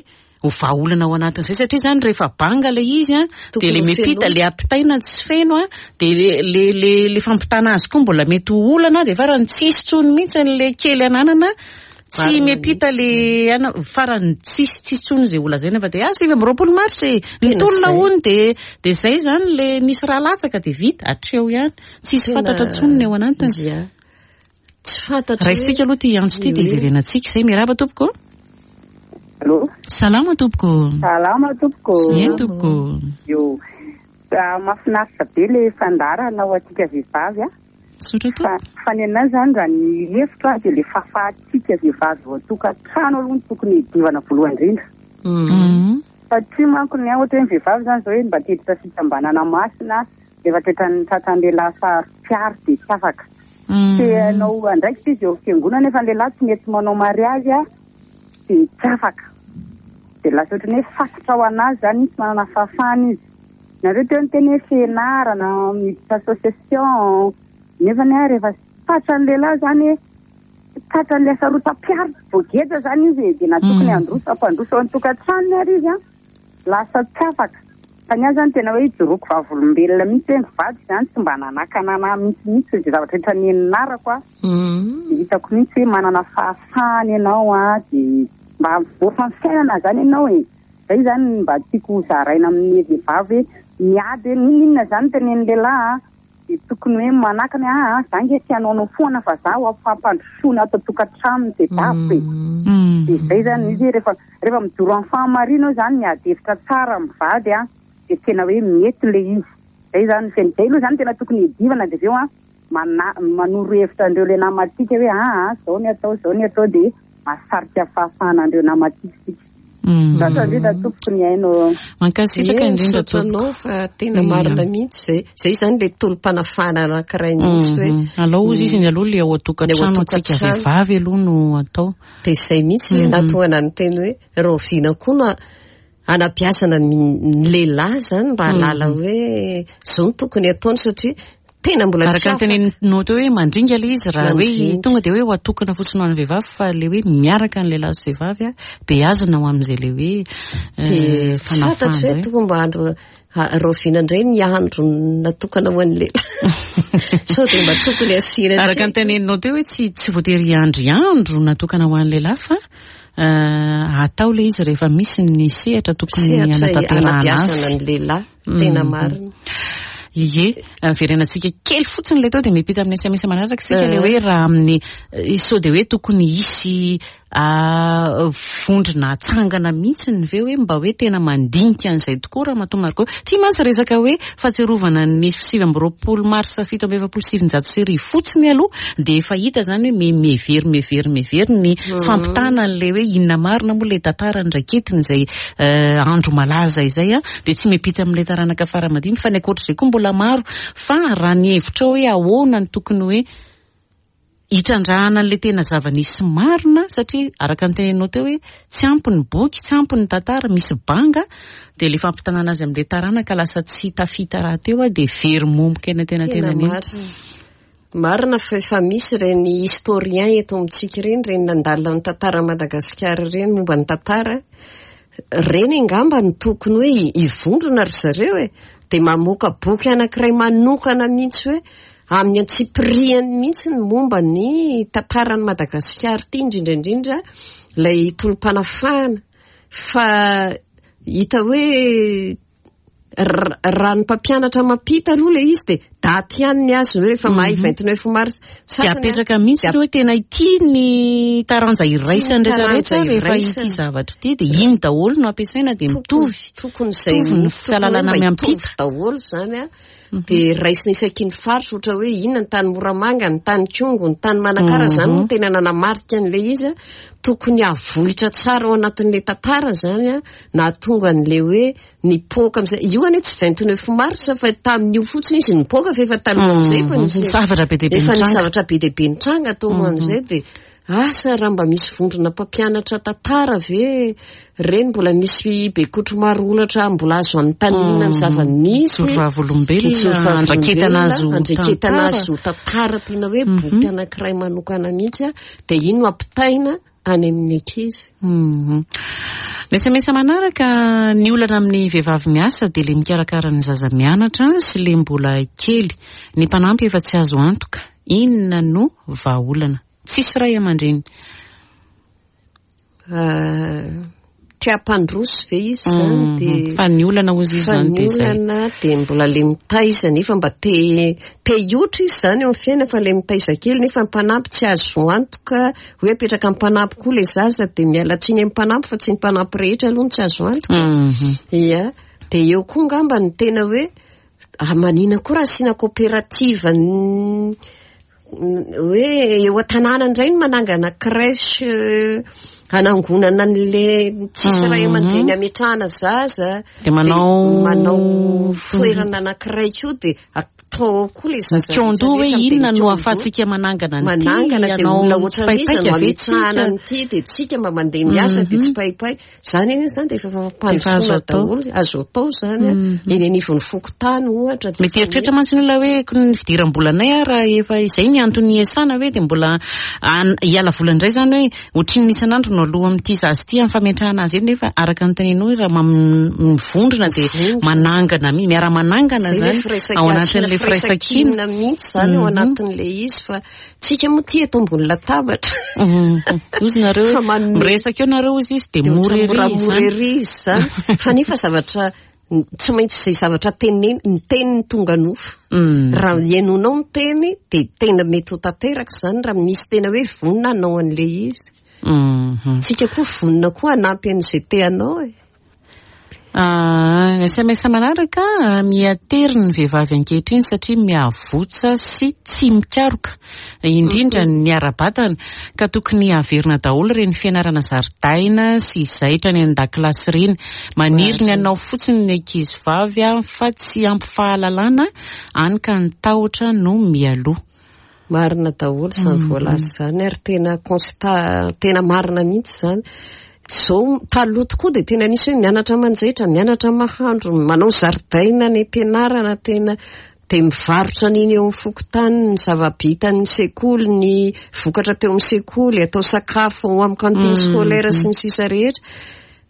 ho vahaolana ao anatin'izay, satria izany rehefa banga ilay izy a, dia ilay miampita, ilay ampitaina tsy feno a, dia le le le fampitana azy koa mbola mety ho olana, dia farany tsisy intsony mihitsy an'ilay kely ananana, tsy miampita le ana, farany tsisy tsisy intsony izay ho lazaina fa dia ah sivy amby roapolo marsa e, ny tolona hono, dia dia izay izany le nisy raha latsaka dia vita hatreo ihany, tsisy fantatra intsony ny ao anatiny. Tsy fantatra. Raisitsika aloha ity antso ity dia hiverenantsika izay. Miarahaba tompoko. Allô? Salama tompoko. Salama tompoko. Eny tompoko. Io. Mahafinaritra be le fandaharana ho antsika vehivavy a. Misaotra tompoko. Fa ny anahy izany raha ny hevitro a dia le fahafahantsika vehivavy ao an-tokantrano aloha no tokony hidivana voalohany indrindra. Satria manko ny ohatra hoe ny vehivavy izany izao hoe mba te hiditra fikambanana masina rehefa tratran'ny tratran'ny lehilahy saro-piaro dia tsy afaka. Te hanao andraikitra izy eo amin'ny fiangonana nefa ny lehilahy tsy mety manao mariazy a dia tsy afaka. Dia lasa ohatran'ny hoe fatotra ho anazy izany, tsy manana fahafahana izy. Nareo teo niteny hoe fianarana, miditra association, nefa ny rehefa tratran'ny lehilahy izany hoe tratran'ilay sarotam-piaro voageja izany izy e, dia na tokony handroso hampandroso ao an-tokantranony ary izy a, lasa tsy afaka. Fa ny ahy izany tena hoe ijoroako vavolombelona mihitsy hoe ny vady izany tsy mba nanakana anahy mihitsy mihitsy izay zavatra rehetra nianarako a. Dia hitako mihitsy hoe manana fahafahana ianao a, dia mba mivoatra ny fiainana izany ianao e. Izay izany mba tiako hozaraina amin'ny vehivavy hoe miady hoe n'inon'inona izany tenen'ny lehilahy a, dia tokony hoe manakana hoe ah, za nge tsy hanaonao foana fa za ho fampandrosoana ato an-tokantrano dia daviko e. Dia izay izany izy rehefa rehefa mijoro amin'ny fahamarinana eo izany miady hevitra tsara amin'ny vady a, dia tena hoe mety ilay izy. Izay izany feno. Izay aloha izany tena tokony hidivana dia avy eo a mana-, manoro hevitra an'ireo ilay namantsika hoe ah, ah, izao ny atao, izao ny atao, dia mahasarika fahafahana an'ireo namantsika isika. Misaotra indrindra tompoko ny haino. Mankasitraka indrindra tompoko. Misaotra anao fa tena marina mihitsy izay. Izay izany ilay tolom-panafahana anankiray mihitsy hoe. Alao ozy izy ny aloha ilay ao an-tokantrano antsika vehivavy aloha no atao. Dia izay mihitsy ilay nahatonga ny teny hoe rahoviana koa no anabeazana ny lehilahy izany mba hahalala hoe izao no tokony ataony, satria tena mbola tsy Araka ny teneninao teo hoe mandringa ilay izy raha hoe tonga dia hoe ho atokana fotsiny ho an'ny vehivavy, fa ilay hoe miaraka ny lehilahy sy vehivavy a, beazina ho amin'izay ilay hoe Dia tsy fanafahana fantatro hoe izay. tokony mba andro rahoviana indray ny andro natokana ho an'ny lehilahy. Sao dia mba tokony asiana Araka ny teneninao teo hoe tsy, tsy voatery hiandry andro natokana ho an'ny lehilahy fa atao ilay izy rehefa misy ny sehatra tokony Sehatra hanatanterahana azy. anabeazana ny lehilahy, tena marina. Ie, verenantsika kely fotsiny ilay teo dia miampita amin'ny S M S manaraka isika ilay hoe raha amin'ny sao dia hoe tokony hisy vondrona atsangana mihitsy ny ve hoe mba hoe tena mandinika an'izay tokoa Ramatoa Margot. Ity mantsy resaka hoe fahatsiarovana ny sivy amby roapolo marsa fito amby efapolo sy sivinjato sy arivo fotsiny aloha dia efa hita izany hoe me-, mihevery, mihevery, mihevery ny fampitana an'ilay hoe inona marina moa ilay tantara niraiketina izay andro malaza izay a, dia tsy miampita amin'ilay taranaka fara-madimby fa ny ankoatr'izay koa mbola maro. Fa raha ny hevitra hoe ahoana no tokony hoe hitrandrahana an'ilay tena zava-nisy marina, satria araka ny teneninao teo hoe tsy ampy ny boky, tsy ampy ny tantara, misy banga, dia ilay fampitanana azy amin'ilay taranaka lasa tsy tafita rahateo a, dia very momoka eny an-tenantenany eny. Marina. Marina fa efa misy ireny historien eto amintsika ireny, ireny nandalina ny tantara Madagasikara ireny momba ny tantara, ireny angamba no tokony hoe hivondrona ry zareo e, dia mamoaka boky anankiray manokana mihitsy hoe amin'ny antsipiriany mihitsy ny momba ny tantaran'i Madagasikara ity, indrindra indrindra ilay tolom-panafahana. Fa hita hoe raha ny mpampianatra mampita aloha ilay izy dia daty ihany ny azy hoe rehefa mahay vingt-neuf mars. Dia apetraka mihitsy hoe tena ity ny taranja iraisan'ny rehetra rehetra rehefa ity zavatra ity dia iny daholo no ampiasaina dia mitovy. Tokony izay Mitovy ny tokony fahalalana hoe mba miampita. hitovy daholo izany a. Dia raisina isaky ny faritra, ohatra hoe inona ny tany Moramanga, ny tany Kongo, ny tany Manakara, zany no tena nanamarika an'ilay izy a. Tokony avoitra tsara ao anatin'ilay tantara zany a, nahatonga an'ilay hoe nipoaka amin'izay. Io anie tsy vingt-neuf mars fa tamin'io fotsiny izy nipoaka, fa efa talohan'izay efa nisy Nisy zavatra be dia be efa nisy nitranga. zavatra be dia be nitranga talohan'izay. Dia asa raha mba misy vondrona mpampianatra tantara ve reny, mbola misy bekotro maro olatra mbola azo anontaniana ny zava-nisy. Mijoro vavolombelona, andraiketana azy ho andraiketana tantara. azy ho tantara, tena hoe boky anankiray manokana mihitsy a, dia ino no ampitaina any amin'ny ankizy. Mhm. Ny S M S manaraka, ny olana amin'ny vehivavy miasa dia ilay mikarakara ny zaza mianatra sy ilay mbola kely. Ny mpanampy efa tsy azo antoka. Inona no vahaolana? Tsisy ray aman-dreny. Ah, te hampandroso ve izy zany? Mhm. Dia Fa ny olana hozy izy fa zany ny dia izay. olana dia mbola le mitaiza, nefa mba te te hiotra izy zany eo amin'ny fiainana, fa le mitaiza kely nefa ny mpanampy tsy azo antoka, hoe apetraka amin'ny mpanampy koa le zaza, dia miala tsiny amin'ny mpanampy, fa tsy ny mpanampy rehetra aloha no tsy azo antoka. Mhm. Ia, dia eo koa ngamba ny tena hoe, ah, manina koa raha asiana coopérative n-, hoe eo an-tanàna indray no manangana crèche, euh, hanangonana an'le tsisy ray aman-dreny ametrahana zaza. Dia manao Dia manao toerana anankiray koa, dia atao koa le zaza Mikaondoha hoe rehetra rehetra, inona no mikaondoha. ahafahantsika manangana an'ity, Manangana, dia hanao olona ohatran'iza tsipaipaika no ve ametrahana tsika? an'ity, dia tsika mba mandeha miasa, dia tsipaipay. Zany anie zany dia efa Efa azo fampandrosoana atao. daholo, azo atao zany a. Eny anivon'ny fokontany ohatra, dia Mety eritreritra mantsy ny olona hoe ko ny fidiram-bolanay a, raha efa izay ny antony iasana hoe dia mbola an-, hiala vola indray zany hoe ohatrin'ny isan'andro no aloha amin'ity zaza ity amin'ny fametrahana azy eny, nefa araka ny teninao hoe raha mam-, mivondrona dia Mivondrona. manangana mi-, miara-manangana Zay le zany firaisan-kina, ao anatin'ilay firaisankina firaisankina. mihitsy zany ao anatin'ilay izy, fa tsika moa ty eto ambony latabatra. Mhm. Ozy nareo Fa manome miresaka eo nareo ozy izy dia Dia mora ohatran'ny ery moramora izany. ery izy zany. Fa nefa zavatra tsy maintsy izay zavatra teneny, ny teny ny tonga nofo. Mm. Raha henonao ny teny dia tena mety ho tanteraka izany raha misy tena hoe vonona hanao an'ilay izy. Mhm. Tsika koa vonona koa hanampy an'izay te hanao e. Ah, S M S manaraka, miatery ny vehivavy ankehitriny satria miavotsa sy tsy mikaroka, indrindra ny ara-batana, ka tokony haverina daholo ireny fianarana zaridaina sy zaitra any an-dakilasy ireny. Maniry ny hanao fotsiny ny ankizy vavy a, fa tsy ampy fahalalana, any ka ny tahotra no mialoha. Marina daholo izany voalaza izany, ary tena constat tena marina mihitsy izany. Zao taloha tokoa dia tena nisy hoe mianatra manjaitra, mianatra mahandro, manao zaridaina any am-pianarana, tena dia mivarotra an'iny eo amin'ny fokontany, ny zava-bitan'ny sekoly, ny vokatra teo amin'ny sekoly, atao sakafo ao amin'ny cantine scolaire sy ny sisa rehetra.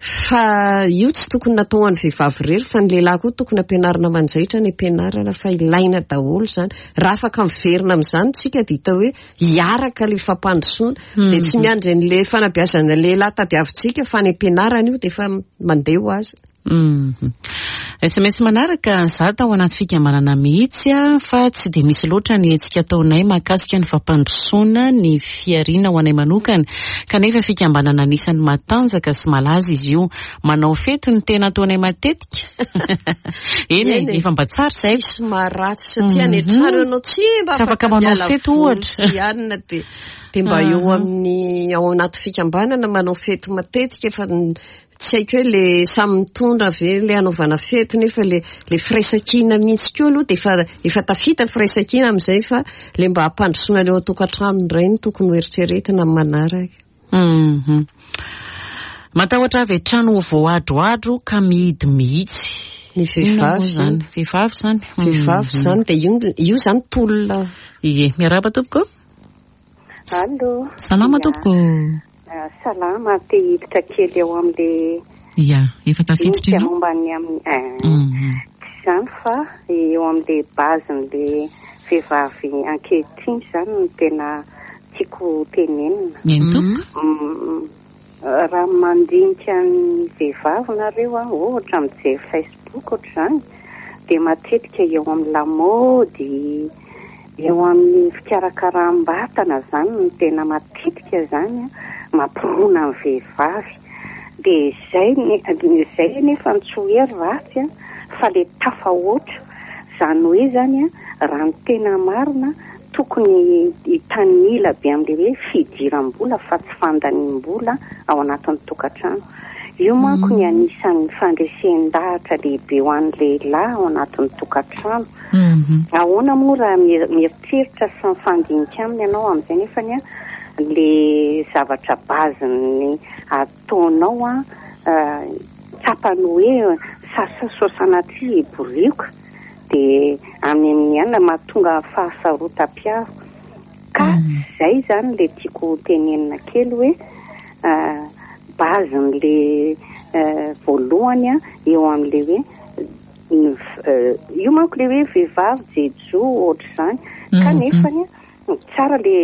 Fa io tsy tokony natao ho an'ny vehivavy irery, fa ny lehilahy koa tokony ampianarina manjaitra any am-pianarana, fa ilaina daholo izany. Raha afaka miverina amin'izany tsika dia hita hoe hiaraka ilay fampandrosoana. Dia tsy miandry an'ilay fanabeazana lehilahy tadiavintsika, fa any am-pianarana io dia efa mandeha ho azy. Mhm. S M S manaraka, za tao anaty fikambanana mihitsy a, fa tsy dia misy loatra ny hetsika ataonay mahakasika ny fampandrosoana ny fihariana ho anay manokana, kanefa fikambanana anisan'ny matanjaka sy malaza izy io. Manao fety ny tena ataonay matetika. Eny e, Eny e. efa mba tsara izay. Tsisy maharatsy satria any an-trano ianao tsy mba Tsy afaka afaka manao miala fety voly ohatra. sy hanina, dia, dia mba eo amin'ny, ao anaty fikambanana manao fety matetika, fa n-, tsy haiko hoe le samy mitondra ve le hanaovana fety, nefa le, le firaisankina mihitsy koa aloha dia efa, efa tafita firaisankina amin'izay, fa le mba hampandrosoana eo an-tokantrano indray no tokony ho eritreretina amin'ny manaraka. Mhm. Matahotra avy hatrany ho voadroadro ka mihidy mihitsy. Ny Inona moa vehivavy izany? Vehivavy izany. Vehivavy izany, dia io, io izany tolona. Ie, miarahaba tompoko. Allô. Salama Ia. tompoko. Ah, salama, te hiditra kely eo amin'le Ia, efa tafiditra dinika ianao? momba ny amin'ny, eh, Mhm. tsy izany fa eo amin'le base-n'le vehivavy ankehitriny izany no tena tiako tenenina. Eny tompoko. Mm, raha mandinika ny vehivavy nareo a, ohatra mijery Facebook ohatr'izany, dia matetika eo amin'ny lamaody, eo amin'ny fikarakaram-batana izany no tena matetika izany a, mampirona ny vehivavy. Dia izay ny, izay nefa ny tsy hoe ratsy a, fa le tafahoatra. Zany hoe zany a, raha ny tena marina tokony hitanila be amin'ilay hoe fidiram-bola fa tsy fandanim-bola ao anatin'ny tokantrano. Io manko ny anisan'ny fandresen-dahatra lehibe ho an'ny lehilahy ao anatin'ny tokantrano. Ahoana moa raha mieritreritra sy mifandinika aminy ianao amin'izay nefany a, le zavatra base-ny ataonao a, tsapany hoe sasa sanatria borioka dia amin'ny ihany mahatonga fahasarotam-piaro. Ka zay zany le tiako tenenina kely hoe base-n'le voalohany a eo amin'le hoe io manko le hoe vehivavy jejo ohatr'izany, kanefany tsara le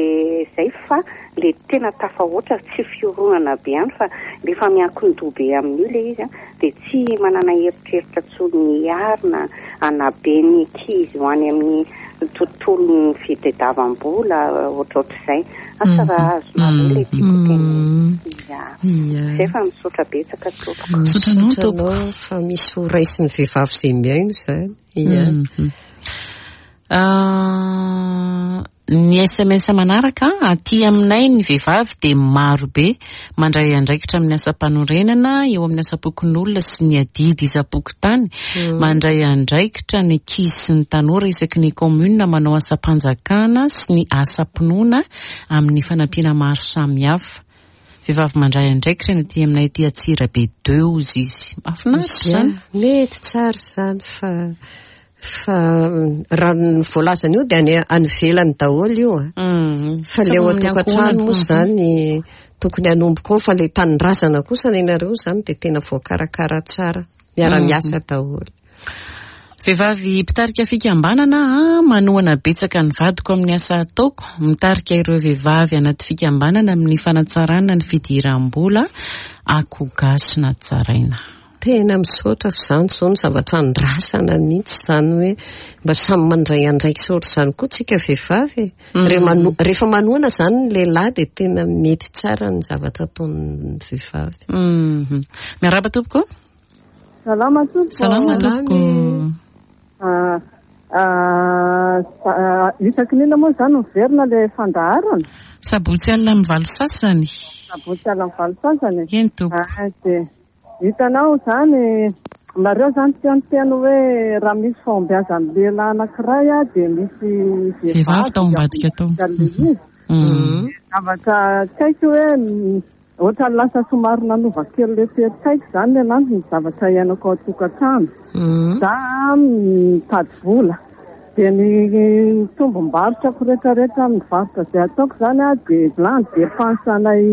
zay fa le tena tafahoatra tsy fioronana be ihany fa rehefa miankin-doha be amin'io le izy a dia tsy manana eritreritra intsony hiarina hanabe ny ankizy ho any amin'ny tontolon'ny fitadiavam-bola ohatrohatr'izay. Asa raha azonareo le tiako tenenina. Zay fa misaotra betsaka tompoko. Misaotra anao tompoko. Fa misy ho raisin'ny vehivavy izay mihaino izany. Ia. Ny S M S manaraka aty aminay ny vehivavy dia maro be mandray andraikitra amin'ny asam-panorenana eo amin'ny asam-pokonolona sy ny adidy isam-pokontany, mandray andraikitra ny ankizy sy ny tanora isaky ny commune, manao asam-panjakana sy ny asam-pinoana amin'ny fanampiana maro samihafa. Vehivavy mandray andraikitra ny aty aminay aty Antsirabe deux izy izy. Mahafinaritra izany. Mety tsara izany fa fa raha ny voalazana io dia any any ivelany daholo io a. Fa le ao an-tokantrano moa izany tokony hanomboka ao, fa le tanindrazana kosa ny anareo izany dia tena voakarakara tsara, miara-miasa daholo. Vehivavy mpitarika fikambanana a, manohana betsaka ny vadiko amin'ny asa ataoko, mitarika ireo vehivavy anaty fikambanana amin'ny fanatsarana ny fidiram-bola akoho gasy natsaraina. Tena misaotra fa izany izao ny zavatra andrasana mihitsy izany hoe mba samy mandray andraikitra ohatr'izany koa tsika vehivavy e. Rehefa manohana izany ny lehilahy dia tena mety tsara ny zavatra ataon'ny vehivavy. Miarahaba tompoko. Salama tompoko. Salama tompoko. Isaky ny inona moa izany miverina ilay fandaharana? Sabotsy alina amin'ny valo sasany. Sabotsy alina amin'ny valo sasany. Eny tompoko. Dia hitanao izany, nareo izany teo niteny hoe raha misy fahombiazan'ny lehilahy anankiray a dia misy vehivavy tao ambadika tao. Zavatra tsy haiko hoe ohatran'ny lasa somary nanova kely le toe-tsaiko izany ny anazy ny zavatra iainako ao an-tokantrano. Za mitady vola dia ny tombom-barotrako rehetrarehetra amin'ny varotra izay ataoko izany a dia lany dépense-nay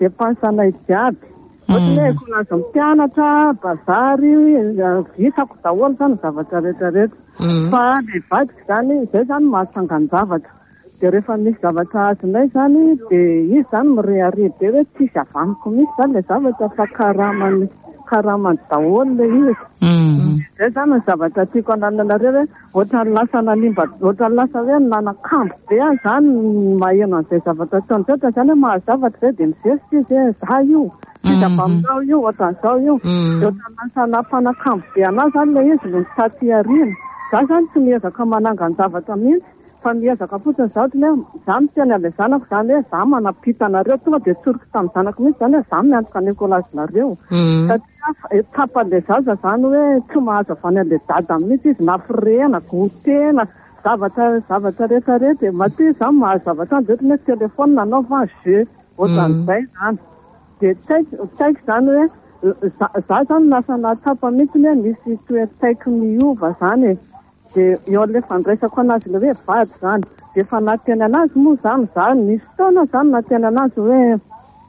dépense-nay jiaby. Ohatra hoe kolazy mpianatra, bazary, vitako daholo izany ny zavatra rehetrarehetra. Fa le vadiko izany, izay izany mahatsangan-javatra. Dia rehefa misy zavatra azonay izany, dia izy izany mirehareha be hoe tsisy avaniko mihitsy izany ilay zavatra fa karamany, karamany daholo ilay izy. Izay izany ny zavatra tiako anananareo hoe ohatran'ny lasa nanimba, ohatran'ny lasa hoe nanakambo be aho izany maheno an'izay zavatra ataony izay, ohatran'izany hoe mahazo zavatra izay dia mizesitra izy hoe za io, tsisy avy aminao io, ohatran'izao io. Dia ohatran'ny lasa nampanakambo be anahy izany ilay izy no taty aoriana. Za izany tsy miezaka manangan-javatra mihitsy, fa miezaka fotsiny za ohatran'ny hoe za miteny amin'ilay zanako izany hoe za manampita anareo, tonga dia tsoriko tamin'ny zanako mihitsy izany hoe za miantoka ny ekolazinareo. Satria tsapan'ilay zaza izany hoe tsy mahazo avy any amin'ilay dada mihitsy izy, na firehana, gotena, zavatra, zavatra rehetrarehetra. Matoa izy izany mahazo zavatra any dia ohatran'ny hoe telefônina anaovana jeu, ohatran'izay izany. Dia tsy haiko, tsy haiko izany hoe za, za izany lasa nahatsapa mihitsy hoe misy toe-tsaiko miova izany e. Dia eo amin'ilay fandraisako anazy ilay hoe vady izany. Dia efa nahateny anazy moa izany za, nisy fotoana izany nahateny anazy hoe,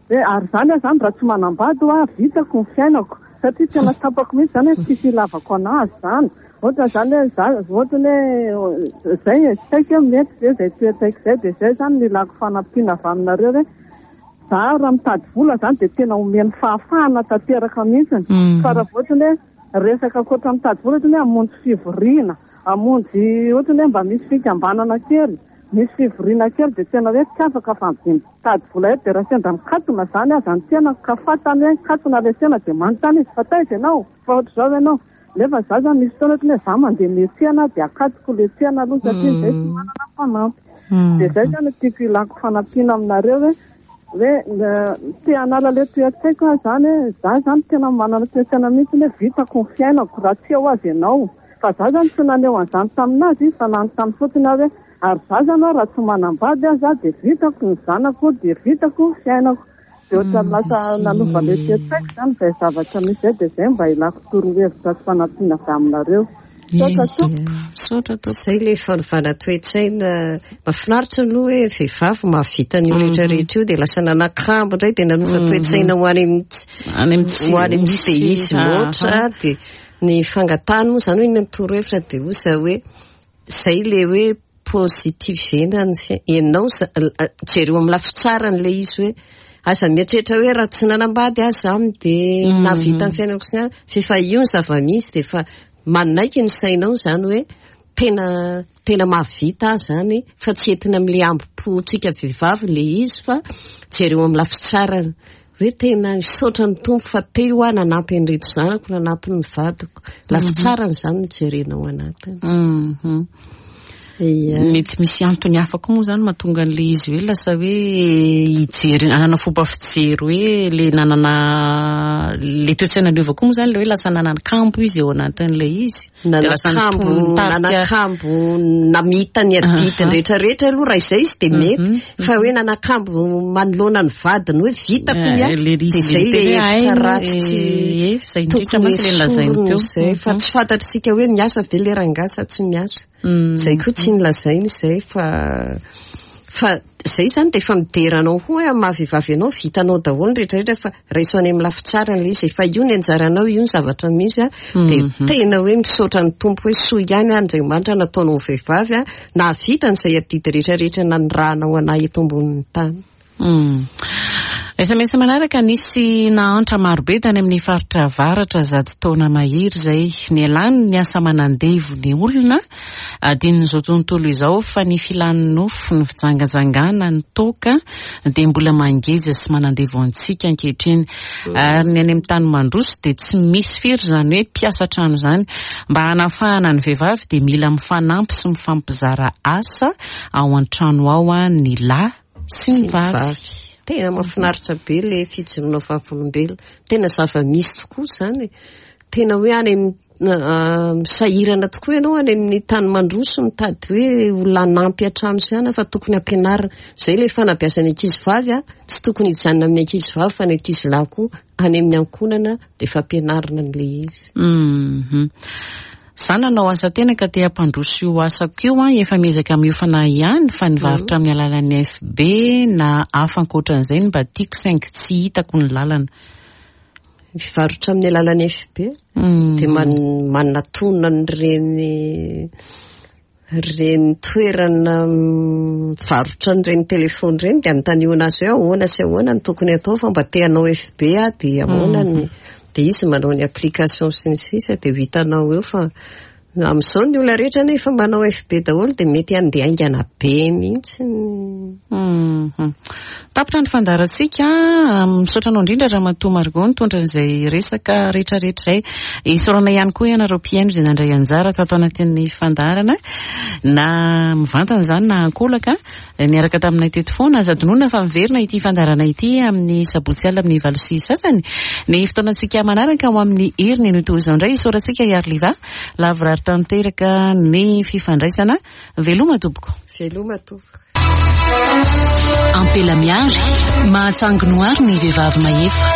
hoe ary izany aho izany raha tsy manambady ho aho, vitako ny fiainako. Satria tena tsapako mihitsy izany hoe tsisy ilavako anazy izany. Ohatra izany hoe za, ohatra hoe izay e, tsy haiko hoe mety ve izay toe-tsaiko izay, dia izay izany no ilako fanampiana avy aminareo hoe za raha mitady vola izany dia tena omeny fahafahana tanteraka mihitsy. Fa raha ohatra hoe resaka ankoatra mitady vola, ohatra hoe hamonjy fivoriana, hamonjy ohatra hoe mba misy fikambanana kely, misy fivoriana kely dia tena hoe tsy afaka fa mitady vola eto, dia raha sendra mikatona izany aza ny tena ka fantany hoe mikatona ilay tena dia manontany izy fa taiza ianao, fa ohatr'izao ianao. Nefa za zany misy fotoana ohatran'ny hoe za mandeha miantsena dia akatoko le tsena aloha satria zay tsy manana mpanampy. Dia zay zany no tiako ilako fanampiana aminareo hoe hoe te hanala le toe-tsaiko aho zany hoe za zany tena manana toe-tsaina mihitsy hoe vitako ny fiainako raha tsy eo azy ianao. Fa za zany tsy naneho an'izany taminazy fa nanontany fotsiny aho hoe ary za zany aho raha tsy manambady aho za dia vitako ny zanako dia vitako ny fiainako. Dia ohatran'ny lasa nanova le toe-tsaiko zany izay zavatra misy izay dia izay mba ilako torohevitra sy fanampiana avy aminareo. Misaotra tompoko. Izay ilay fanovana toe-tsaina mahafinaritra aloha hoe vehivavy mahavita an'io rehetra rehetra io dia lasa nanakambo indray dia nanova toe-tsaina ho any amin'ny Any ho any amin'ny tsy dia izy loatra dia ny fangatahana moa izany hoe ny torohevitra dia hoy izaho hoe izay ilay hoe positivena ny fiainana. Ianao jereo amin'ny lafy tsarany ilay izy hoe aza mieritreritra hoe raha tsy nanambady aho izany dia nahavita ny fiainako sy ny anona. Fa efa io ny zava-misy dia efa manaiky ny sainao izany hoe tena tena mahavita aho izany fa tsy entina amin'ilay ambo-pontsika vehivavy ilay izy fa jereo amin'ny lafy tsarany hoe tena misaotra ny Tompo fa teo aho nanampy an'ireto zanako, nanampy ny vadiko. Lafy tsarany izany no jerenao anatiny. Mhm. Ia. Mety misy antony hafa koa moa izany mahatonga an'ilay izy hoe lasa hoe hijery, hanana fomba fijery hoe le nanana le toe-tsaina niova koa moa izany le hoe lasa nanana kambo izy eo anatin'ilay izy. Dia lasa Nanakambo, nitarika nanakambo namita ny adidy Aha. rehetra rehetra aloha raha izay izy dia mety. Mhm. Fa hoe nanakambo manoloana ny vadiny hoe vitako ny ahy, Eh, le dia izy izay le le tena hoe hevitra haino, ratsy tsy eh, eh, izay indrindra tokony mantsy le nolazainy esorina teo. izay. Fa Mhm. tsy fantatr'isika hoe miasa ve le rangahy sa tsy miasa. Mm. Izay koa tsy nolazainy izay fa fa izay izany dia efa midera anao koa hoe amin'ny maha vehivavy anao vitanao daholo ny rehetra rehetra fa raiso any amin'ny lafy tsara ilay izy efa io ny anjaranao io ny zavatra misy a dia Mhm. tena hoe misaotra ny Tompo hoe soa ihany Andriamanitra nataonao vehivavy a nahavita an'izay adidy rehetra rehetra nanirahanao anahy eto ambonin'ny tany. Mm. S M S manaraka nisy nahantra marobe tany amin'ny faritra avaratra zato taona mahery izay nialany ny asa manandevo ny olona adinon'izao tontolo izao fa ny filan'ny nofo, ny fijangajangana, ny toaka dia mbola mangeja sy manandevo antsika ankehitriny. Ary ny any amin'ny tany mandroso dia tsy misy firy izany hoe mpiasa trano izany. Mba hanafahana ny vehivavy dia mila mifanampy sy mifampizara asa ao an-trano ao ny lahy sy ny vavy. Tena mahafinaritra be le fijoroana vavolombelona. Tena zava-misy tokoa izany. Tena hoe any amin'ny, ah, sahirana tokoa ianao any amin'ny tany mandroso mitady hoe olona hanampy an-trano sy any fa tokony hampianarina. Izay ilay fanabeazana ankizy vavy a, tsy tokony hijanona amin'ny ankizy vavy fa ny ankizy lahy koa any amin'ny ankohonana dia efa ampianarina an'ilay izy. Mhm. Za nanao asa tena ka te hampandroso io asako io a, efa miezaka miofana ihany fa nivarotra amin'ny alalan'ny F B na hafa ankoatran'izay no mba tiako saingy tsy hitako ny lalana. Mivarotra amin'ny alalan'ny F B? Mm. Dia man-, manatona an'ireny, ireny toerana mivarotra an'ireny telefony ireny dia anontaniana azy hoe ahoana sy ahoana no tokony atao fa mba te hanao F B aho dia ahoana ny dia izy manao ny application sy ny sisa dia ho hitanao eo fa amin'izao ny olona rehetra nefa manao F B daholo dia mety handeha haingana be mihitsy. Mhm. Tapitra ny fandaharantsika. Misaotra anao indrindra Ramatoa Margot nitondra an'izay resaka rehetrarehetra izay. Isaorana ihany koa ianareo mpihaino izay nandray anjara tato anatin'ny fandaharana na mivantana izany na ankolaka niaraka taminay teto foana. Aza adinoina fa miverina ity fandaharana ity amin'ny sabotsy alina amin'ny valo sy sasany. Ny fotoanantsika manaraka ho amin'ny heriny no toy izao indray. Isaorantsika Iariliva lavorary tanteraka ny fifandraisana. Veloma tompoko. Veloma tompoko. Ampela miary, mahatsangy noary ny vehivavy mahefa.